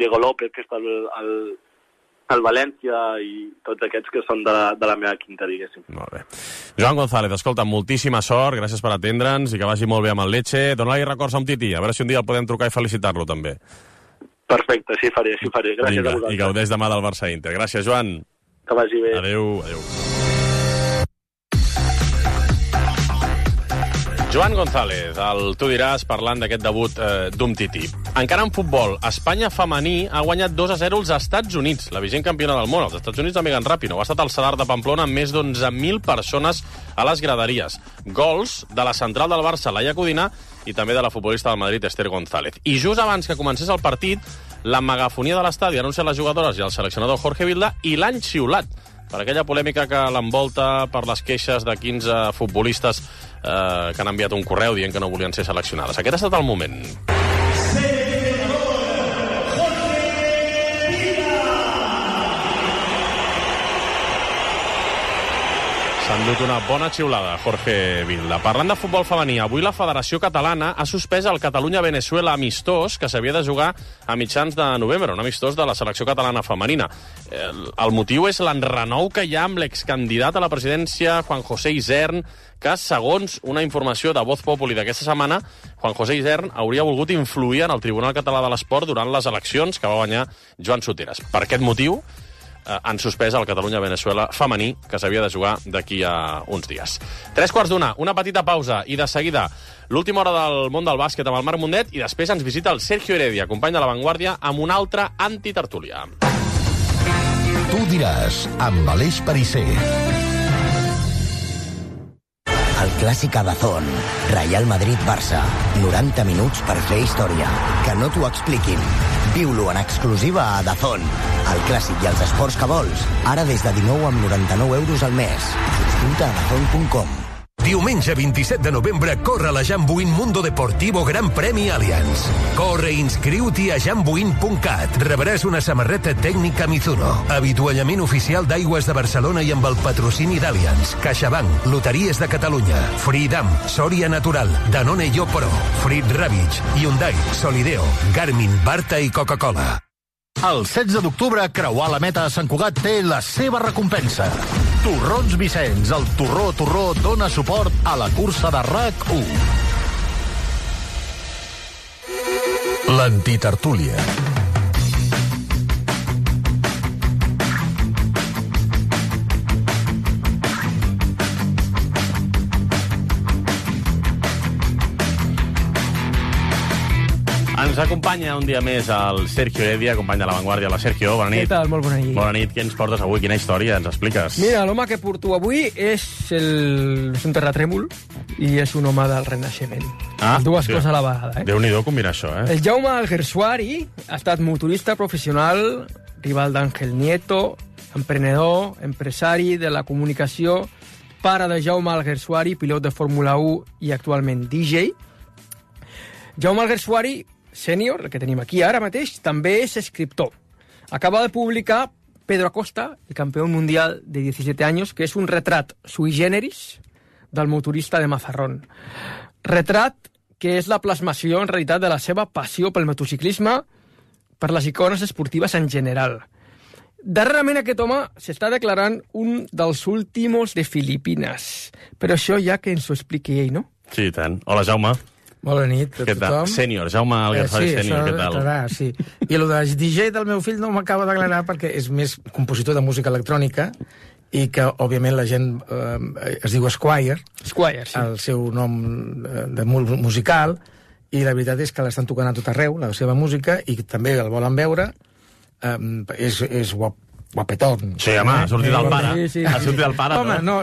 Diego López, que està al València, i tots aquests que són de la meva quinta, diguéssim. Molt bé. Joan González, escolta, moltíssima sort, gràcies per atendre'ns i que vagi molt bé amb el Lecce. Dóna-li records a un tití, a veure si un dia el podem trucar i felicitar-lo, també. Perfecte, així faré. Gràcies a vosaltres. I gaudeix demà del Barça Inter. Gràcies, Joan. Que vagi bé. Adéu. Joan González, tu diràs, parlant d'aquest debut d'Umtiti. Encara en futbol, Espanya femení ha guanyat 2-0 als Estats Units, la vigent campiona del món. Els Estats Units de Megan Rapinoe. Ha estat al Sadar de Pamplona amb més d'11.000 persones a les graderies. Gols de la central del Barça, Laia Codina, i també de la futbolista del Madrid, Esther González. I just abans que comencés el partit, la megafonia de l'estadi anuncia les jugadores i el seleccionador Jorge Vilda i l'any xiulat per aquella polèmica que l'envolta per les queixes de 15 futbolistes que han enviat un correu dient que no volien ser seleccionades. Aquest ha estat el moment. endut una bona xiulada, Jorge Vilda. Parlant de futbol femení, avui la Federació Catalana ha suspès el Catalunya-Venezuela amistós que s'havia de jugar a mitjans de novembre, un amistós de la selecció catalana femenina. El motiu és l'enrenou que hi ha amb l'excandidat a la presidència, Juan José Isern, que, segons una informació de Voz Populi d'aquesta setmana, Juan José Isern hauria volgut influir en el Tribunal Català de l'Esport durant les eleccions que va guanyar Joan Soteras. Per aquest motiu, han suspès el Catalunya-Venezuela femení, que s'havia de jugar d'aquí a uns dies. 3:45, una petita pausa, i de seguida l'última hora del món del bàsquet amb el Marc Mundet, i després ens visita el Sergio Heredia, company de La Vanguardia, amb una altra antitertúlia. Tu diràs, amb Aleix Perisser. El clàssic a DAZN, Real Madrid-Barça, 90 minuts per fer història. Que no t'ho expliquin. Viu-lo en exclusiva a DAZN. El clàssic i els esports que vols, ara des de 19,99 € al mes. Subscriu-te a DAZN.com. Diumenge 27 de novembre corre la Jambuin Mundo Deportivo Gran Premi Allianz. Corre i inscriu-t'hi a jambuin.cat. Rebràs una samarreta tècnica Mizuno, avituallament oficial d'Aigües de Barcelona i amb el patrocini d'Allianz, CaixaBank, Loteries de Catalunya, Freedom, Soria Natural, Danone Yo Pro, Frit Ravitch, Hyundai, Solideo, Garmin, Barta i Coca-Cola. El 16 d'octubre, creuar la meta a Sant Cugat té la seva recompensa. Torrons Vicenç, el Torró dona suport a la cursa de RAC1. L'antitertúlia. Ens acompanya un dia més el Sergio Heredia, company de La Vanguardia. Hola, Sergio, bona nit. Què tal? Molt bona nit. Bona nit. Què ens portes avui? Quina història ens expliques? Mira, l'home que porto avui és un terratrèmol i és un home del Renaixement. Dues coses a la vegada. Déu-n'hi-do combinar això, El Jaume Alguersuari ha estat motorista professional, rival d'Àngel Nieto, emprenedor, empresari de la comunicació, pare de Jaume Alguersuari, pilot de Fórmula 1 i actualment DJ. Jaume Alguersuari, sènior, el que tenim aquí ara mateix, també és escriptor. Acaba de publicar Pedro Acosta, el campeón mundial de 17 años, que és un retrat sui generis del motorista de Mazarrón. Retrat que és la plasmació, en realitat, de la seva passió pel motociclisme, per les icones esportives en general. Darrerament aquest home s'està declarant un dels últimos de Filipines. Però això ja que ens ho expliqui ell, no? Sí, i tant. Hola, Jaume. Bona nit a tothom. Sènior, Jaume Alguersuari sènior, què tal? Clar, sí. I el de DJ del meu fill no m'acaba d'aclarar perquè és més compositor de música electrònica i que, òbviament, la gent es diu Squire, sí. El seu nom de musical, i la veritat és que l'estan tocant a tot arreu, la seva música, i també el volen veure. És guapetón. Sí, home, ha sortit del pare. Sí. Ha sortit del pare, home, no.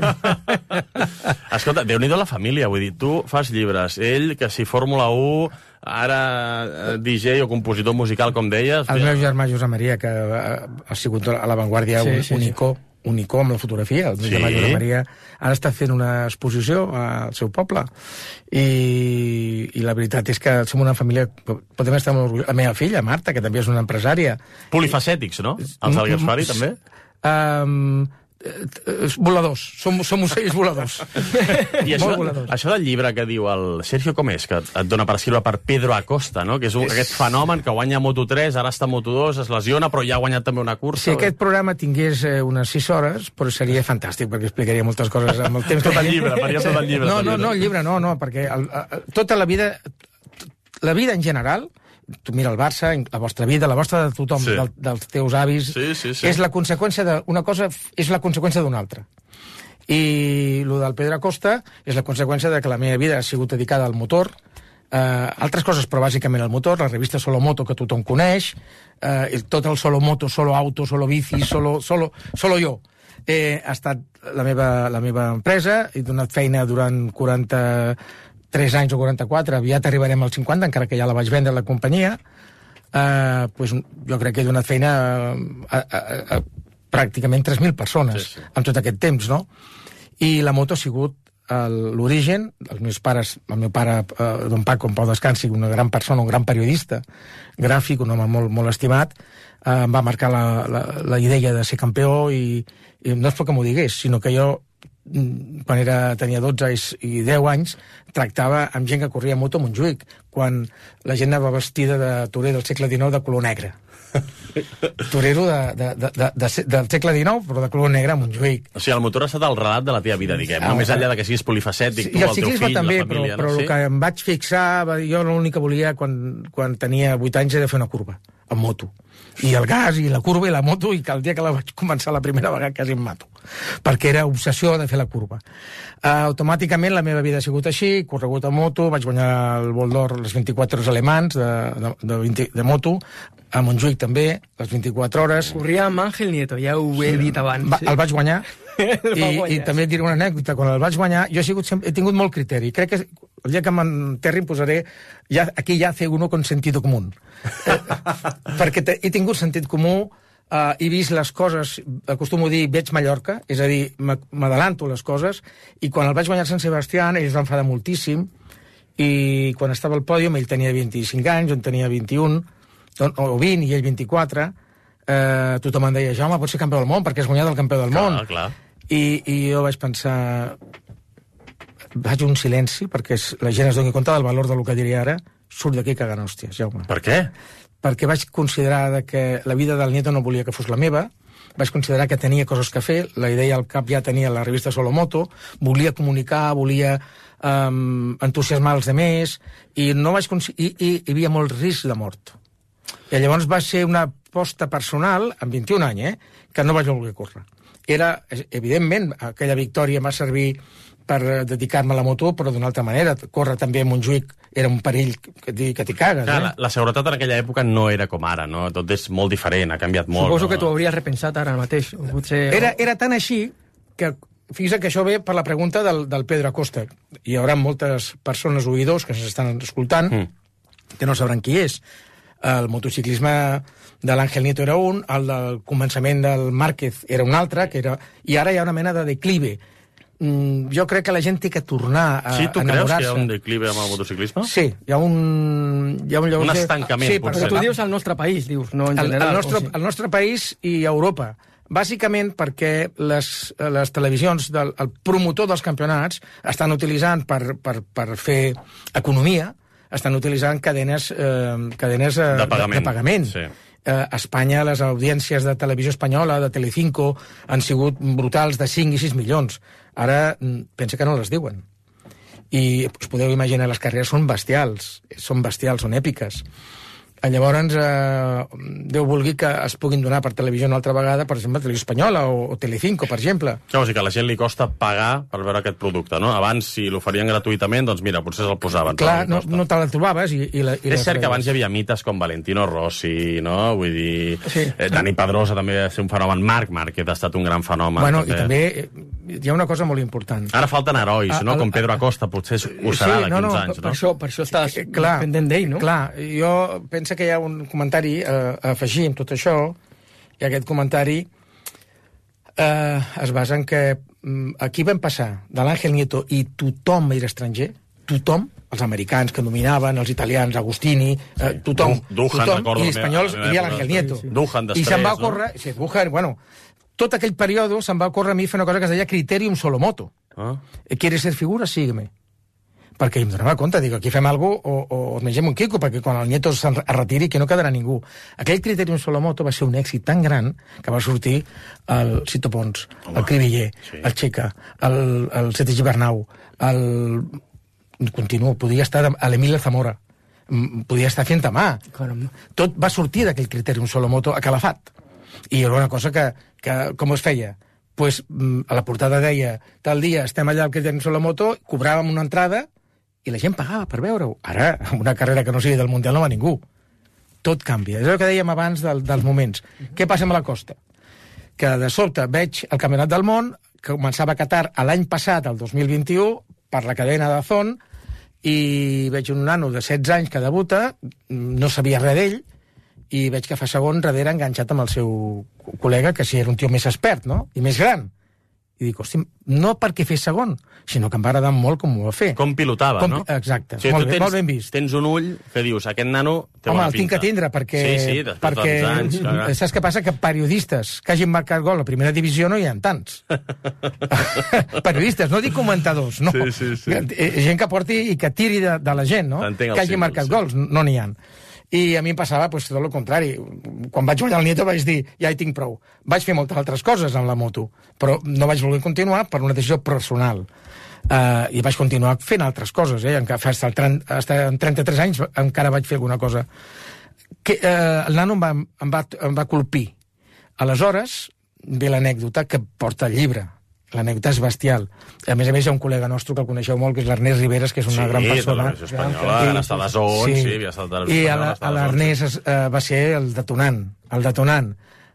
Escolta, Déu-n'hi-do la família, vull dir, tu fas llibres, ell, que si Fórmula 1, ara DJ o compositor musical, com deies... El meu germà Josep Maria, que ha sigut a La Vanguardia un icó amb la fotografia. El meu germà Josep Maria ara està fent una exposició al seu poble. I la veritat és que som una família... Podem estar molt orgullosos. La meva filla, Marta, que també és una empresària... Polifacètics, no? Els Alguersuari, també? Voladors. Som ocells voladors. I això del llibre que diu el Sergio, com és? Que et dona per escriure per Pedro Acosta, no? Que és aquest fenomen que guanya Moto3, ara està Moto2, es lesiona, però ja ha guanyat també una cursa. Si aquest programa tingués unes 6 hores, però seria fantàstic, perquè explicaria moltes coses amb el temps. Tot el llibre, faria tot el llibre. No, el llibre no, perquè tota la vida en general, tu mira el Barça, la vostra vida, la vostra de tothom, dels teus avis, és la conseqüència d'una cosa, és la conseqüència d'una altra. I el del Pedro Acosta és la conseqüència de que la meva vida ha sigut dedicada al motor, altres coses, però bàsicament al motor, la revista Solo Moto, que tothom coneix, tot el Solo Moto, Solo Auto, Solo Bici, Solo jo. Ha estat la meva empresa, he donat feina durant 43 anys o 44, aviat arribarem als 50, encara que ja la vaig vendre a la companyia, jo crec que he donat feina a pràcticament 3.000 persones en tot aquest temps, no? I la moto ha sigut l'origen. Els meus pares, el meu pare, don Paco, en pau descansi, una gran persona, un gran periodista gràfic, un home molt, molt estimat, em va marcar la idea de ser campió i no és perquè m'ho digués, sinó que jo quan tenia 12 i 10 anys, tractava amb gent que corria a moto a Montjuïc, quan la gent anava vestida de torero del segle XIX de color negre. Torero del segle XIX, però de color negre a Montjuïc. O sigui, el motor ha estat el relat de la teva vida, diguem. Més enllà de que siguis polifacètic, tu, el el teu ciclisme fill, també, la família... però el que em vaig fixar, jo l'únic que volia quan tenia 8 anys era fer una curva, amb moto. I el gas, i la curva, i la moto, i que el dia que la vaig començar la primera vegada quasi em mato. Perquè era obsessió de fer la curva. Automàticament la meva vida ha sigut així, corregut a moto, vaig guanyar el Vol d'Or, les 24 hores alemans de moto, a Montjuïc també, les 24 hores. Corria amb Ángel Nieto, ja ho he dit abans. El vaig guanyar, i també et diré una anècdota, quan el vaig guanyar, jo he tingut molt criteri. Crec que el dia que m'enterri em posaré, aquí ja hace uno con sentido común. Perquè he tingut sentit comú, he vist les coses, acostumo a dir, veig Mallorca, és a dir, m'adelanto les coses, i quan el vaig guanyar a Sant Sebastià, ell es va enfadar moltíssim, i quan estava al pòdium, ell tenia 25 anys, jo en tenia 21, o 20, i ell 24, tothom em deia, Jaume, pots ser campió del món, perquè has guanyat el campió del món. Clar. I jo vaig pensar... Vaig un silenci, perquè la gent es doni compte del valor del que diria ara, surt d'aquí cagant hòsties, Jaume. Per què? Perquè vaig considerar que la vida del Nieto no volia que fos la meva, vaig considerar que tenia coses que fer, la idea al cap ja tenia la revista Solomoto, volia comunicar, volia entusiasmar els demés, i no vaig hi havia molt risc de mort. I llavors va ser una aposta personal, amb 21 anys, que no vaig voler córrer. Evidentment, aquella victòria m'ha servit per dedicar-me a la moto, però d'una altra manera. Córrer també a Montjuïc era un perill que t'hi cagues. Clar, la seguretat en aquella època no era com ara, no? Tot és molt diferent, ha canviat molt. Suposo que t'ho hauries repensat ara mateix. Potser... Era tan així que, fixa't que això ve per la pregunta del Pedro Acosta. Hi haurà moltes persones oïdors que s'estan escoltant que no sabran qui és. El motociclisme de l'Ángel Nieto era un, el del començament del Márquez era un altre, i ara hi ha una mena de declive. Jo crec que la gent té que tornar a enamorar-se. Sí, tu creus que hi ha un declive amb el motociclisme? Sí, hi ha un un estancament, potser. Però tu dius al nostre país, dius, no en general. El nostre país i Europa. Bàsicament perquè les televisions, el promotor dels campionats estan utilitzant per fer economia, estan utilitzant cadenes de pagament. Sí. A Espanya les audiències de televisió espanyola, de Telecinco, han sigut brutals de 5 i 6 milions. Ara pensa que no les diuen. I us podeu imaginar, les carreres són bestials, són èpiques. Llavors, Déu vulgui que es puguin donar per televisió una altra vegada, per exemple, Televisió Espanyola o Telecinco, per exemple. Clar, o sigui que a la gent li costa pagar per veure aquest producte, no? Abans, si l'oferien gratuïtament, doncs mira, potser se'l posaven. Clar, no te la trobaves. És cert que abans hi havia mites com Valentino Rossi, no? Vull dir, sí. Dani Pedrosa també va ser un fenomen, Marc Márquez ha estat un gran fenomen. Bueno, i també hi ha una cosa molt important. Ara falten herois, no? Com Pedro Acosta, potser ho serà d'aquí uns anys, no? Per això estàs pendent d'ell, no? Clar, jo penso que hi ha un comentari a afegir amb tot això, i aquest comentari es basa en que aquí vam passar de l'Ángel Nieto i tothom era estranger, tothom, els americans que dominaven, els italians, Agustini, tothom, i els espanyols hi havia l'Ángel Nieto. Duhan després, i se'n va córrer, sí, Duhan, bueno, tot aquell període se'n va córrer a mi fer una cosa que es deia Criterium Solomoto. ¿Quieres ser figura? Sígueme. Perquè em donava compte, dic, aquí fem alguna cosa o ens mengem un quico, perquè quan el Nieto es retiri que no quedarà ningú. Aquell Criterium Solomoto va ser un èxit tan gran que va sortir el Cito Pons, el Cribiller, el Checa, el Sete Gibernau, continuo, podia estar a l'Emilio Zamora, podia estar fent a mà. Tot va sortir d'aquell Criterium Solomoto a Calafat. I era una cosa que com es feia? Pues, a la portada deia, tal dia estem allà al Criterium Solomoto, cobràvem una entrada i la gent pagava per veure-ho. Ara, una carrera que no sigui del Mundial no va ningú. Tot canvia. És el que dèiem abans dels moments. Què passa amb la Costa? Que de sobte veig el Campionat del Món, que començava a Qatar l'any passat, el 2021, per la cadena DAZN, i veig un nano de 16 anys que debuta, no sabia res d'ell, i veig que fa segon darrere enganxat amb el seu col·lega, que sí era un tio més expert, no? I més gran. I I dic, hosti, no perquè fes segon, sinó que em va agradar molt com ho va fer. Com pilotava, no? Exacte, Sí, molt tu ben vist. Tens un ull que dius, aquest nano té Home, bona el tinc pinta. que tindre, perquè... Sí, després de tants anys, clar. Saps què passa? Que periodistes que hagin marcat gol a primera divisió no hi ha tants. Periodistes, no dic comentadors, no. Sí. Gent que porti i que tiri de la gent, no? T'entenc el Que hagi símbol, marcat sí. gols, no n'hi ha. I a mi em passava pues, tot el contrari. Quan vaig guanyar el Nieto vaig dir, ja hi tinc prou. Vaig fer moltes altres coses amb la moto, però no vaig voler continuar per una decisió personal. I vaig continuar fent altres coses, fins als 33 anys encara vaig fer alguna cosa. El nano em va colpir. Aleshores, ve l'anècdota que porta el llibre. L'anècdota és bestial. A més, hi ha un col·lega nostre que el coneixeu molt, que és l'Ernest Riveras, que és una gran persona. Sí, de la espanyola, ha estat a Zon, sí, havia estat a l'Espanyola. I l'Ernest va ser el detonant.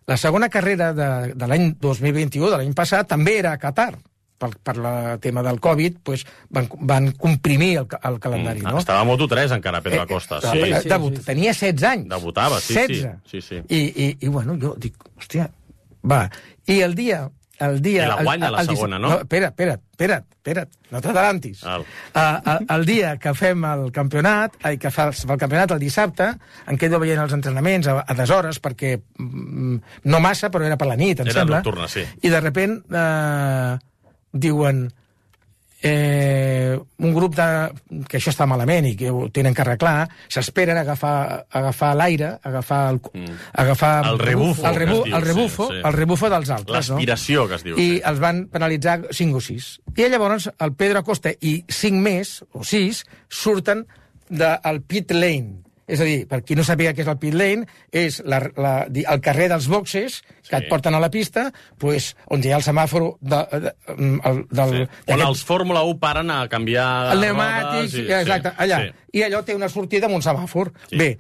La segona carrera de l'any 2021, de l'any passat, també era a Qatar. Per el tema del Covid, doncs, van comprimir el calendari. No? Estava a Moto3 encara, Pedro Acosta. Tenia 16 anys. Debutava, sí. 16. I bueno, jo dic, hòstia, va. I el dia... I la guanya la segona, no? Espera't, no t'atalantis. El dia que fem el campionat, que fa el campionat el dissabte, em quedo veient els entrenaments a deshores, perquè no massa, però era per la nit, em sembla. Era nocturna, sí. I de repent diuen un grup que això està malament i que ho tenen que arreglar, s'esperen a agafar l'aire, agafar el rebufo, el rebufo dels altres. L'aspiració, que es diu. I els van penalitzar 5 o 6. I llavors el Pedro Acosta i 5 més, o 6, surten del pit lane. És a dir, per qui no sàpiga què és el pit lane, és el carrer dels boxes que et porten a la pista, pues, on hi ha el semàforo on els Fórmula 1 paren a canviar el pneumàtic, exacte, allà. I allò té una sortida amb un semàfor. Bé,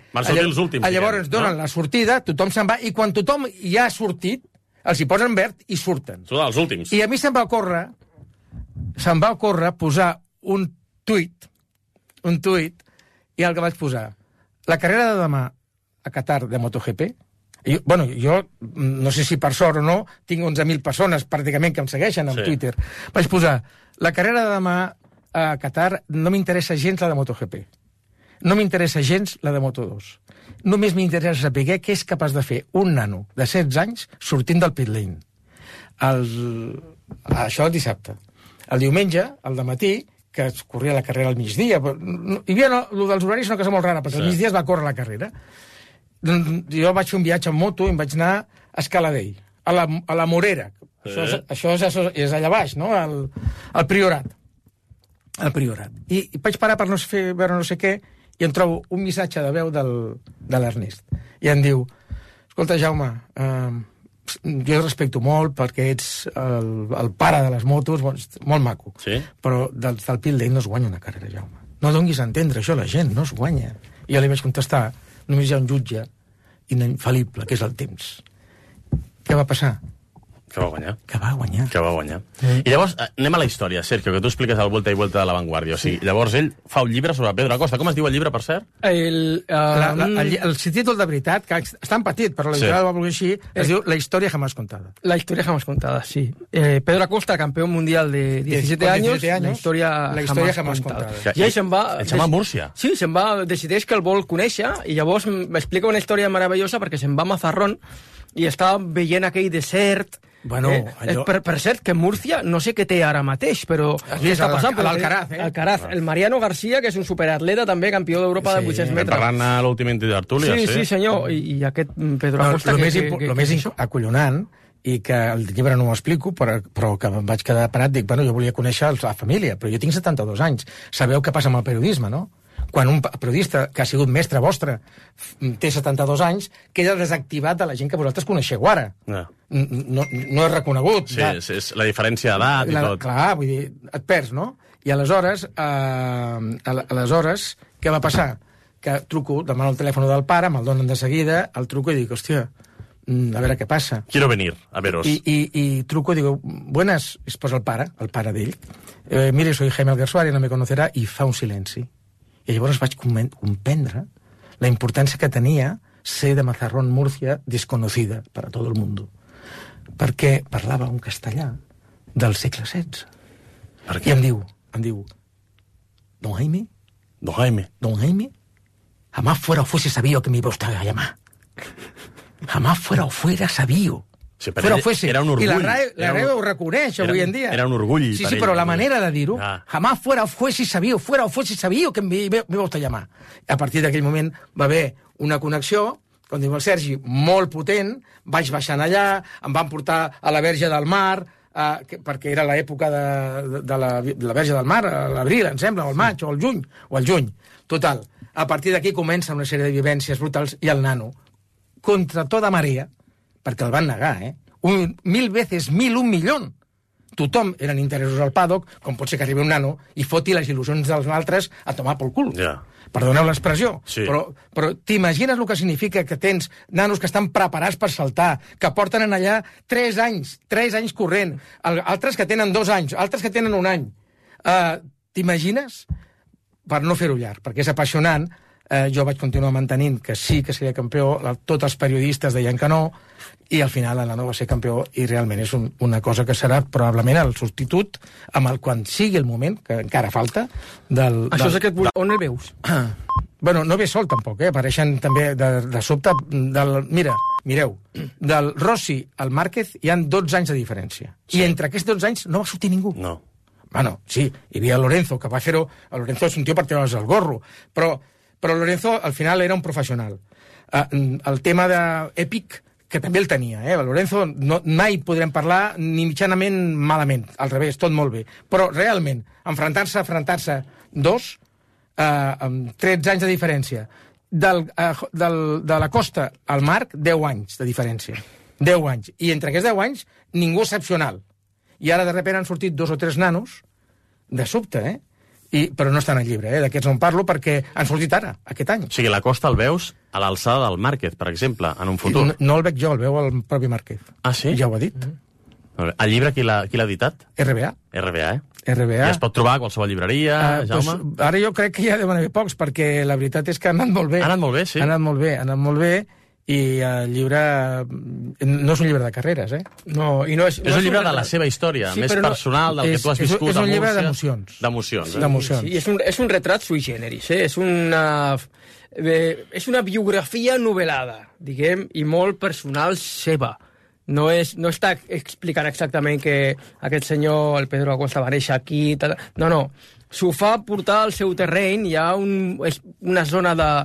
llavors donen la sortida, tothom se'n va, i quan tothom ja ha sortit, els hi posen verd i surten. Són els últims. I a mi se'm va ocórrer posar un tuit, i el que vaig posar, la carrera de demà a Qatar de MotoGP, jo no sé si per sort o no, tinc 11.000 persones pràcticament que em segueixen en Twitter. Vaig posar, la carrera de demà a Qatar no m'interessa gens la de MotoGP. No m'interessa gens la de Moto2. Només m'interessa saber què és capaç de fer un nano de 16 anys sortint del pit lane. Això el dissabte. El diumenge, al dematí, que es corria la carrera al migdia. Hi havia el dels horaris és una cosa molt rara, perquè al migdia es va córrer la carrera. Jo vaig fer un viatge en moto i em vaig anar a Escaladell, a la Morera. Això és allà baix, no? Al Priorat. I vaig parar per veure no sé què i em trobo un missatge de veu de l'Ernest. I em diu, escolta, Jaume, jo el respecto molt perquè ets el pare de les motos, molt maco, però del pit lane no es guanya una carrera, Jaume. No donguis a entendre això, la gent no es guanya. I jo li vaig contestar, només hi ha un jutge infal·lible, que és el temps. Què va passar? Que va guanyar. Que va guanyar. I llavors, anem a la història, Sergio, que tu expliques el Vuelta i Vuelta de la Vanguardia. O sigui, llavors ell fa un llibre sobre Pedro Acosta. Com es diu el llibre, per cert? El títol de veritat, que està en petit, però l'editorial va voler així, es diu La historia jamás contada. La historia jamás contada, sí. Pedro Acosta, campeón mundial de 17 años, la historia jamás contada. I ell se'n va... Ell se'n va a Múrcia. Sí, se'n va, decideix que el vol conèixer, i llavors m'explica una història meravellosa perquè se'n va a Mazarrón i està veient aquell desert. Bueno, per cert, que Múrcia no sé què té ara mateix, però què està passant? L'Alcaraz, Alcaraz, el Mariano García, que és un superatleta també, campió d'Europa de 800 metres. Parlant a l'últim tertúlia, sí, senyor, i aquest Pedro Acosta... El més acollonant, i que el llibre no ho explico, però que em vaig quedar parat, dic, bueno, jo volia conèixer la família, però jo tinc 72 anys. Sabeu què passa amb el periodisme, no? Quan un periodista que ha sigut mestre vostre té 72 anys, queda desactivat de la gent que vosaltres coneixeu ara. No és reconegut. Sí, és la diferència d'edat i tot. Clar, vull dir, et perds, no? I aleshores, què va passar? Que truco, demano el telèfon del pare, me'l donen de seguida, el truco i dic, hòstia, a veure què passa. Quiero venir, a veros. I truco i digo, buenas, es posa el pare d'ell. Mire, soy Jaime Alguersuari, no me conocerà, i fa un silenci. I llavors vaig comprendre la importància que tenia ser de Mazarrón, Múrcia, desconocida per a tot el món. Perquè parlava un castellà del segle XVI. I em diu, Don Jaime, jamás fuera o fuese sabido que me iba usted a llamar. Jamás fuera o fuera sabido. Sí, però era un orgull. I la RAE ho reconeix avui en dia. Era un orgull. Sí, però la manera de dir-ho, jamás fuera o fuese sabido que me iba usted a llamar. A partir d'aquell moment va haver una connexió, com diu el Sergi, molt potent, vaig baixant allà, em van portar a la Verge del Mar, perquè era l'època de la Verge del Mar, a l'abril, em sembla, o al maig, o al juny. Total, a partir d'aquí comença una sèrie de vivències brutals i el nano, contra tota marea, perquè el van negar, 1.000 veces 1.000, 1 milió. Tothom eren interessos al paddock, com pot ser que arribi un nano i foti les il·lusions dels altres a tomar pel cul. Perdoneu l'expressió, però t'imagines el que significa que tens nanos que estan preparats per saltar, que porten en allà 3 anys corrent, altres que tenen 2 anys, altres que tenen 1 any. T'imagines? Per no fer-ho llarg, perquè és apassionant. Jo vaig continuar mantenint que sí que seria campió, tots els periodistes deien que no, i al final el nano va ser campió, i realment és una cosa que serà probablement el substitut amb el quan sigui el moment, que encara falta, Això és aquest... On el veus? Bueno, no ve sol tampoc, apareixen també de sobte mireu, del Rossi al Márquez hi han 12 anys de diferència, i entre aquests 12 anys no va sortir ningú. No. Bueno, sí, hi havia Lorenzo, que va fer-ho... Lorenzo és un tio per treure's el gorro, però Lorenzo al final era un professional. El tema d'Èpic, que també el tenia, Lorenzo mai podrem parlar ni mitjanament malament, al revés, tot molt bé. Però realment, enfrontar-se 2, amb 13 anys de diferència, de la Costa al Marc, 10 anys de diferència. 10 anys. I entre aquests 10 anys, ningú excepcional. I ara de repente han sortit 2 o 3 nanos, de sobte, però no estan al llibre, d'aquests no en parlo perquè han sortit ara, aquest any. O sigui, la Costa el veus a l'alçada del Márquez, per exemple, en un futur. No el veig jo, el veu el propi Márquez. Ah, sí? Ja ho ha dit. El llibre qui l'ha editat? RBA. RBA. I es pot trobar a qualsevol llibreria, Jaume? Doncs, ara jo crec que ja deuen haver pocs, perquè la veritat és que ha anat molt bé. Ha anat molt bé, sí. Ha anat molt bé, i el llibre no és un llibre de carreres, No, i no és un llibre de la seva història, més personal, del que tu has viscut a Múrcia. És un llibre d'emocions. D'emocions. Sí, és un retrat sui generis, és una biografia novel·lada, diguem, i molt personal seva. No està explicant exactament que aquest senyor, el Pedro Acosta, va néixer aquí... No. S'ho fa portar al seu terreny, hi ha una zona de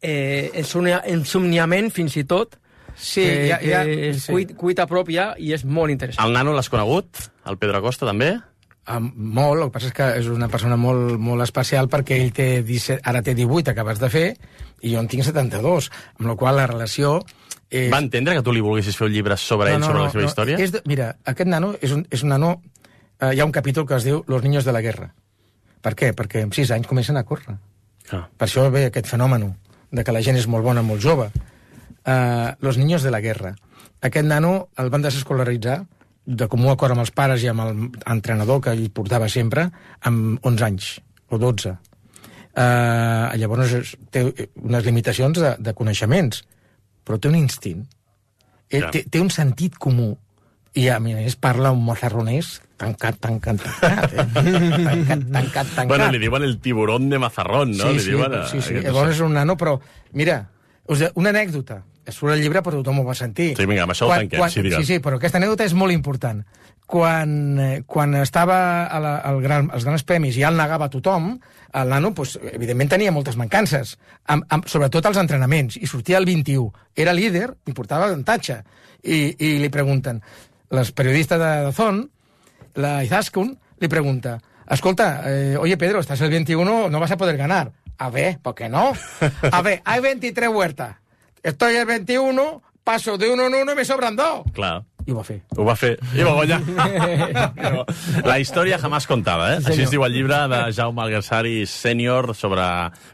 ensomniament, fins i tot, cuita pròpia, i és molt interessant. El nano l'has conegut? El Pedro Acosta, també? Molt, el que passa és que és una persona molt, molt especial, perquè ell té 17, ara té 18, acabes de fer, i jo en tinc 72, amb la qual la relació... Va entendre que tu li volguessis fer un llibre sobre ell, sobre la seva història? Mira, aquest nano és un nano... Hi ha un capítol que es diu Los niños de la guerra. Per què? Perquè amb 6 anys comencen a córrer. Per això ve aquest fenomen de que la gent és molt bona, molt jove. Los niños de la guerra. Aquest nano el van desescolaritzar de comú acord amb els pares i amb l'entrenador que ell portava sempre, amb 11 anys, o 12. Llavors té unes limitacions de coneixements, però té un instint. Té un sentit comú. I a més parla un mozarronès tancat. Bueno, li diuen el tiburón de Mazarrón, no? Sí. Llavors és un nano, però, mira, una anècdota. Surt el llibre, però tothom ho va sentir. Sí, vinga, amb això ho tanquem, sí, digues. Sí, però aquesta anècdota és molt important. Quan estava als grans premis i ja el negava a tothom, el nano, evidentment, tenia moltes mancances, sobretot als entrenaments, i sortia el 21. Era líder i portava avantatge. I li pregunten, les periodistes de Dazón, la Izaskun, li pregunta, escolta, oye Pedro, estás el 21, no vas a poder ganar. A ver, ¿por qué no? A ver, hay 23 huertas. Estoy el 21, paso de 1 en 1 y me sobran 2. Clar. I ho va fer. Ho va fer. I va guanyar. La història jamás contada, eh? Sí, així es diu el llibre de Jaume Alguersuari sènior sobre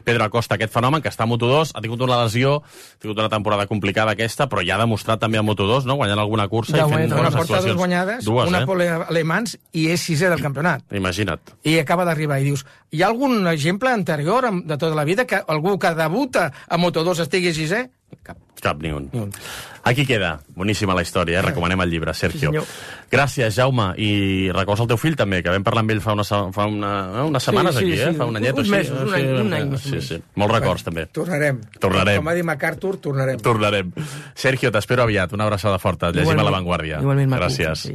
Pedro Acosta, aquest fenomen que està a Moto2, ha tingut una lesió, ha tingut una temporada complicada aquesta, però ja ha demostrat també a Moto2, no? Guanyant alguna cursa i fent bones actuacions. Dues guanyades, una pole alemans i és 6è del campionat. Imagina't. I acaba d'arribar i dius, hi ha algun exemple anterior de tota la vida que algú que debuta a Moto2 estigui 6è? Cap ni un. Aquí queda. Boníssima la història, recomanem el llibre, Sergio. Gràcies, Jaume. I records el teu fill, també, que vam parlar amb ell fa unes setmanes aquí, Fa un anyet o així. Un any. Sí. Molts records, també. Tornarem. Com va dir MacArthur, tornarem. Sergio, t'espero aviat. Una abraçada forta. Llegim a La Vanguardia. Igualment, Marco. Gràcies.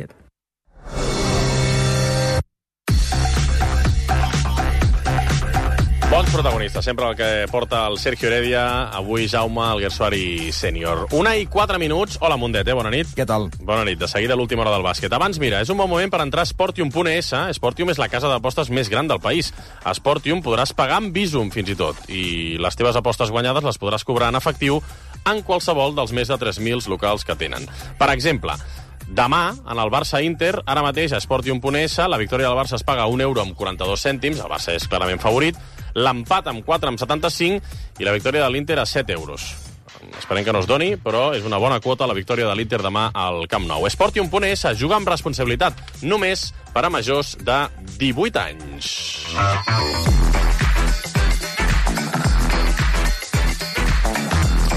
Bons protagonistes, sempre el que porta el Sergio Heredia, avui Jaume Alguersuari sènior. 1:04. Hola, Mundet, bona nit. Què tal? Bona nit, de seguida l'última hora del bàsquet. Abans, mira, és un bon moment per entrar a Sportium.es. Sportium és la casa d'apostes més gran del país. A Sportium podràs pagar amb Bizum, fins i tot. I les teves apostes guanyades les podràs cobrar en efectiu en qualsevol dels més de 3.000 locals que tenen. Per exemple, demà, en el Barça-Inter, ara mateix a Sportium.es, la victòria del Barça es paga €1 amb 42 cèntims, el Barça és clarament favorit, l'empat amb 4 amb 75 i la victòria de l'Inter a €7. Esperem que no es doni, però és una bona quota la victòria de l'Inter demà al Camp Nou. Sportium.es juga amb responsabilitat, només per a majors de 18 anys.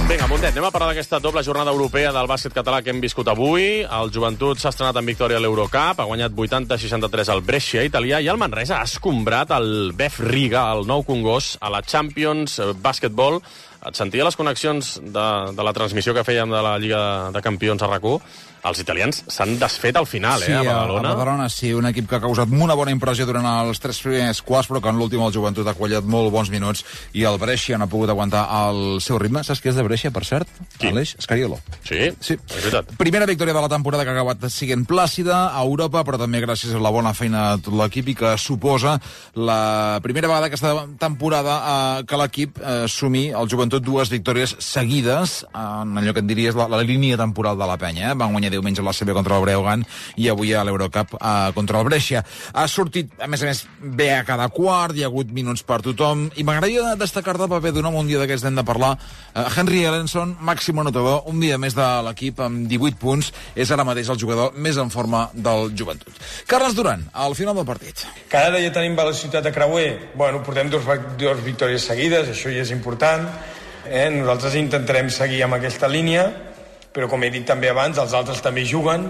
Vinga, Mundet, anem a parlar d'aquesta doble jornada europea del bàsquet català que hem viscut avui. El Joventut s'ha estrenat en victòria a l'Eurocup, ha guanyat 80-63 al Brescia italià i el Manresa ha escombrat el Bef Riga, el nou Congost, a la Champions Basketball. Et sentia les connexions de la transmissió que fèiem de la Lliga de Campions a RAC1? Els italians s'han desfet al final, a Badalona. A Badalona sí, un equip que ha causat una bona impressió durant els 3 primers quarts, però que en l'últim el Joventut ha quallat molt bons minuts i el Brescia no ha pogut aguantar el seu ritme. Saps qui és de Brescia, per cert? Qui? Aleix Scariolo. Sí, és veritat. Primera victòria de la temporada que ha acabat siguent plàcida a Europa, però també gràcies a la bona feina de tot l'equip i que suposa la primera vegada aquesta temporada que l'equip sumi el Joventut 2 victòries seguides en allò que et diries la línia temporal de la penya. Van guanyar diumenge a la CB contra el Breogán i avui a l'Eurocup contra el Brescia. Ha sortit, a més, bé a cada quart, hi ha hagut minuts per tothom, i m'agradaria destacar del paper d'un home, un dia d'aquests hem de parlar, Henry Ellenson, màxim anotador, un dia més de l'equip amb 18 punts, és ara mateix el jugador més en forma del Joventut. Carles Duran, al final del partit. Cada dia tenim velocitat de creuer. Bueno, portem dues victòries seguides, això ja és important. Nosaltres intentarem seguir amb aquesta línia, però com he dit també abans, els altres també juguen,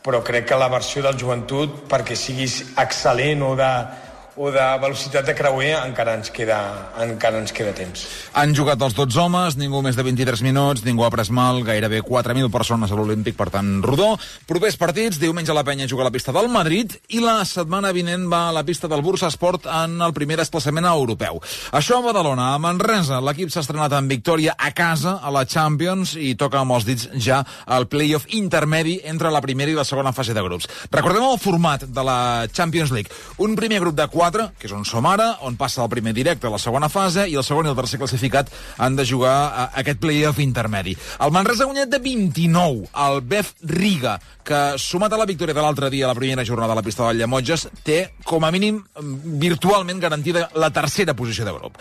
però crec que la versió del Joventut, perquè siguis excel·lent o de velocitat de creuer, encara ens queda temps. Han jugat els 12 homes, ningú més de 23 minuts, ningú ha pres mal, gairebé 4.000 persones a l'Olímpic, per tant, rodó. Propers partits, diumenge a la Penya juga a la pista del Madrid i la setmana vinent va a la pista del Bursasport en el primer desplaçament europeu. Això a Badalona. A Manresa, l'equip s'ha estrenat en victòria a casa a la Champions i toca amb els dits ja el play-off intermedi entre la primera i la segona fase de grups. Recordem el format de la Champions League. Un primer grup de 4, que és on som ara, on passa el primer directe a la segona fase, i el segon i el tercer classificat han de jugar aquest play-off intermedi. El Manresa ha guanyat de 29 al Bef Riga, que, sumat a la victòria de l'altre dia a la primera jornada a la pista del Llemotges, té, com a mínim, virtualment garantida la tercera posició de grup.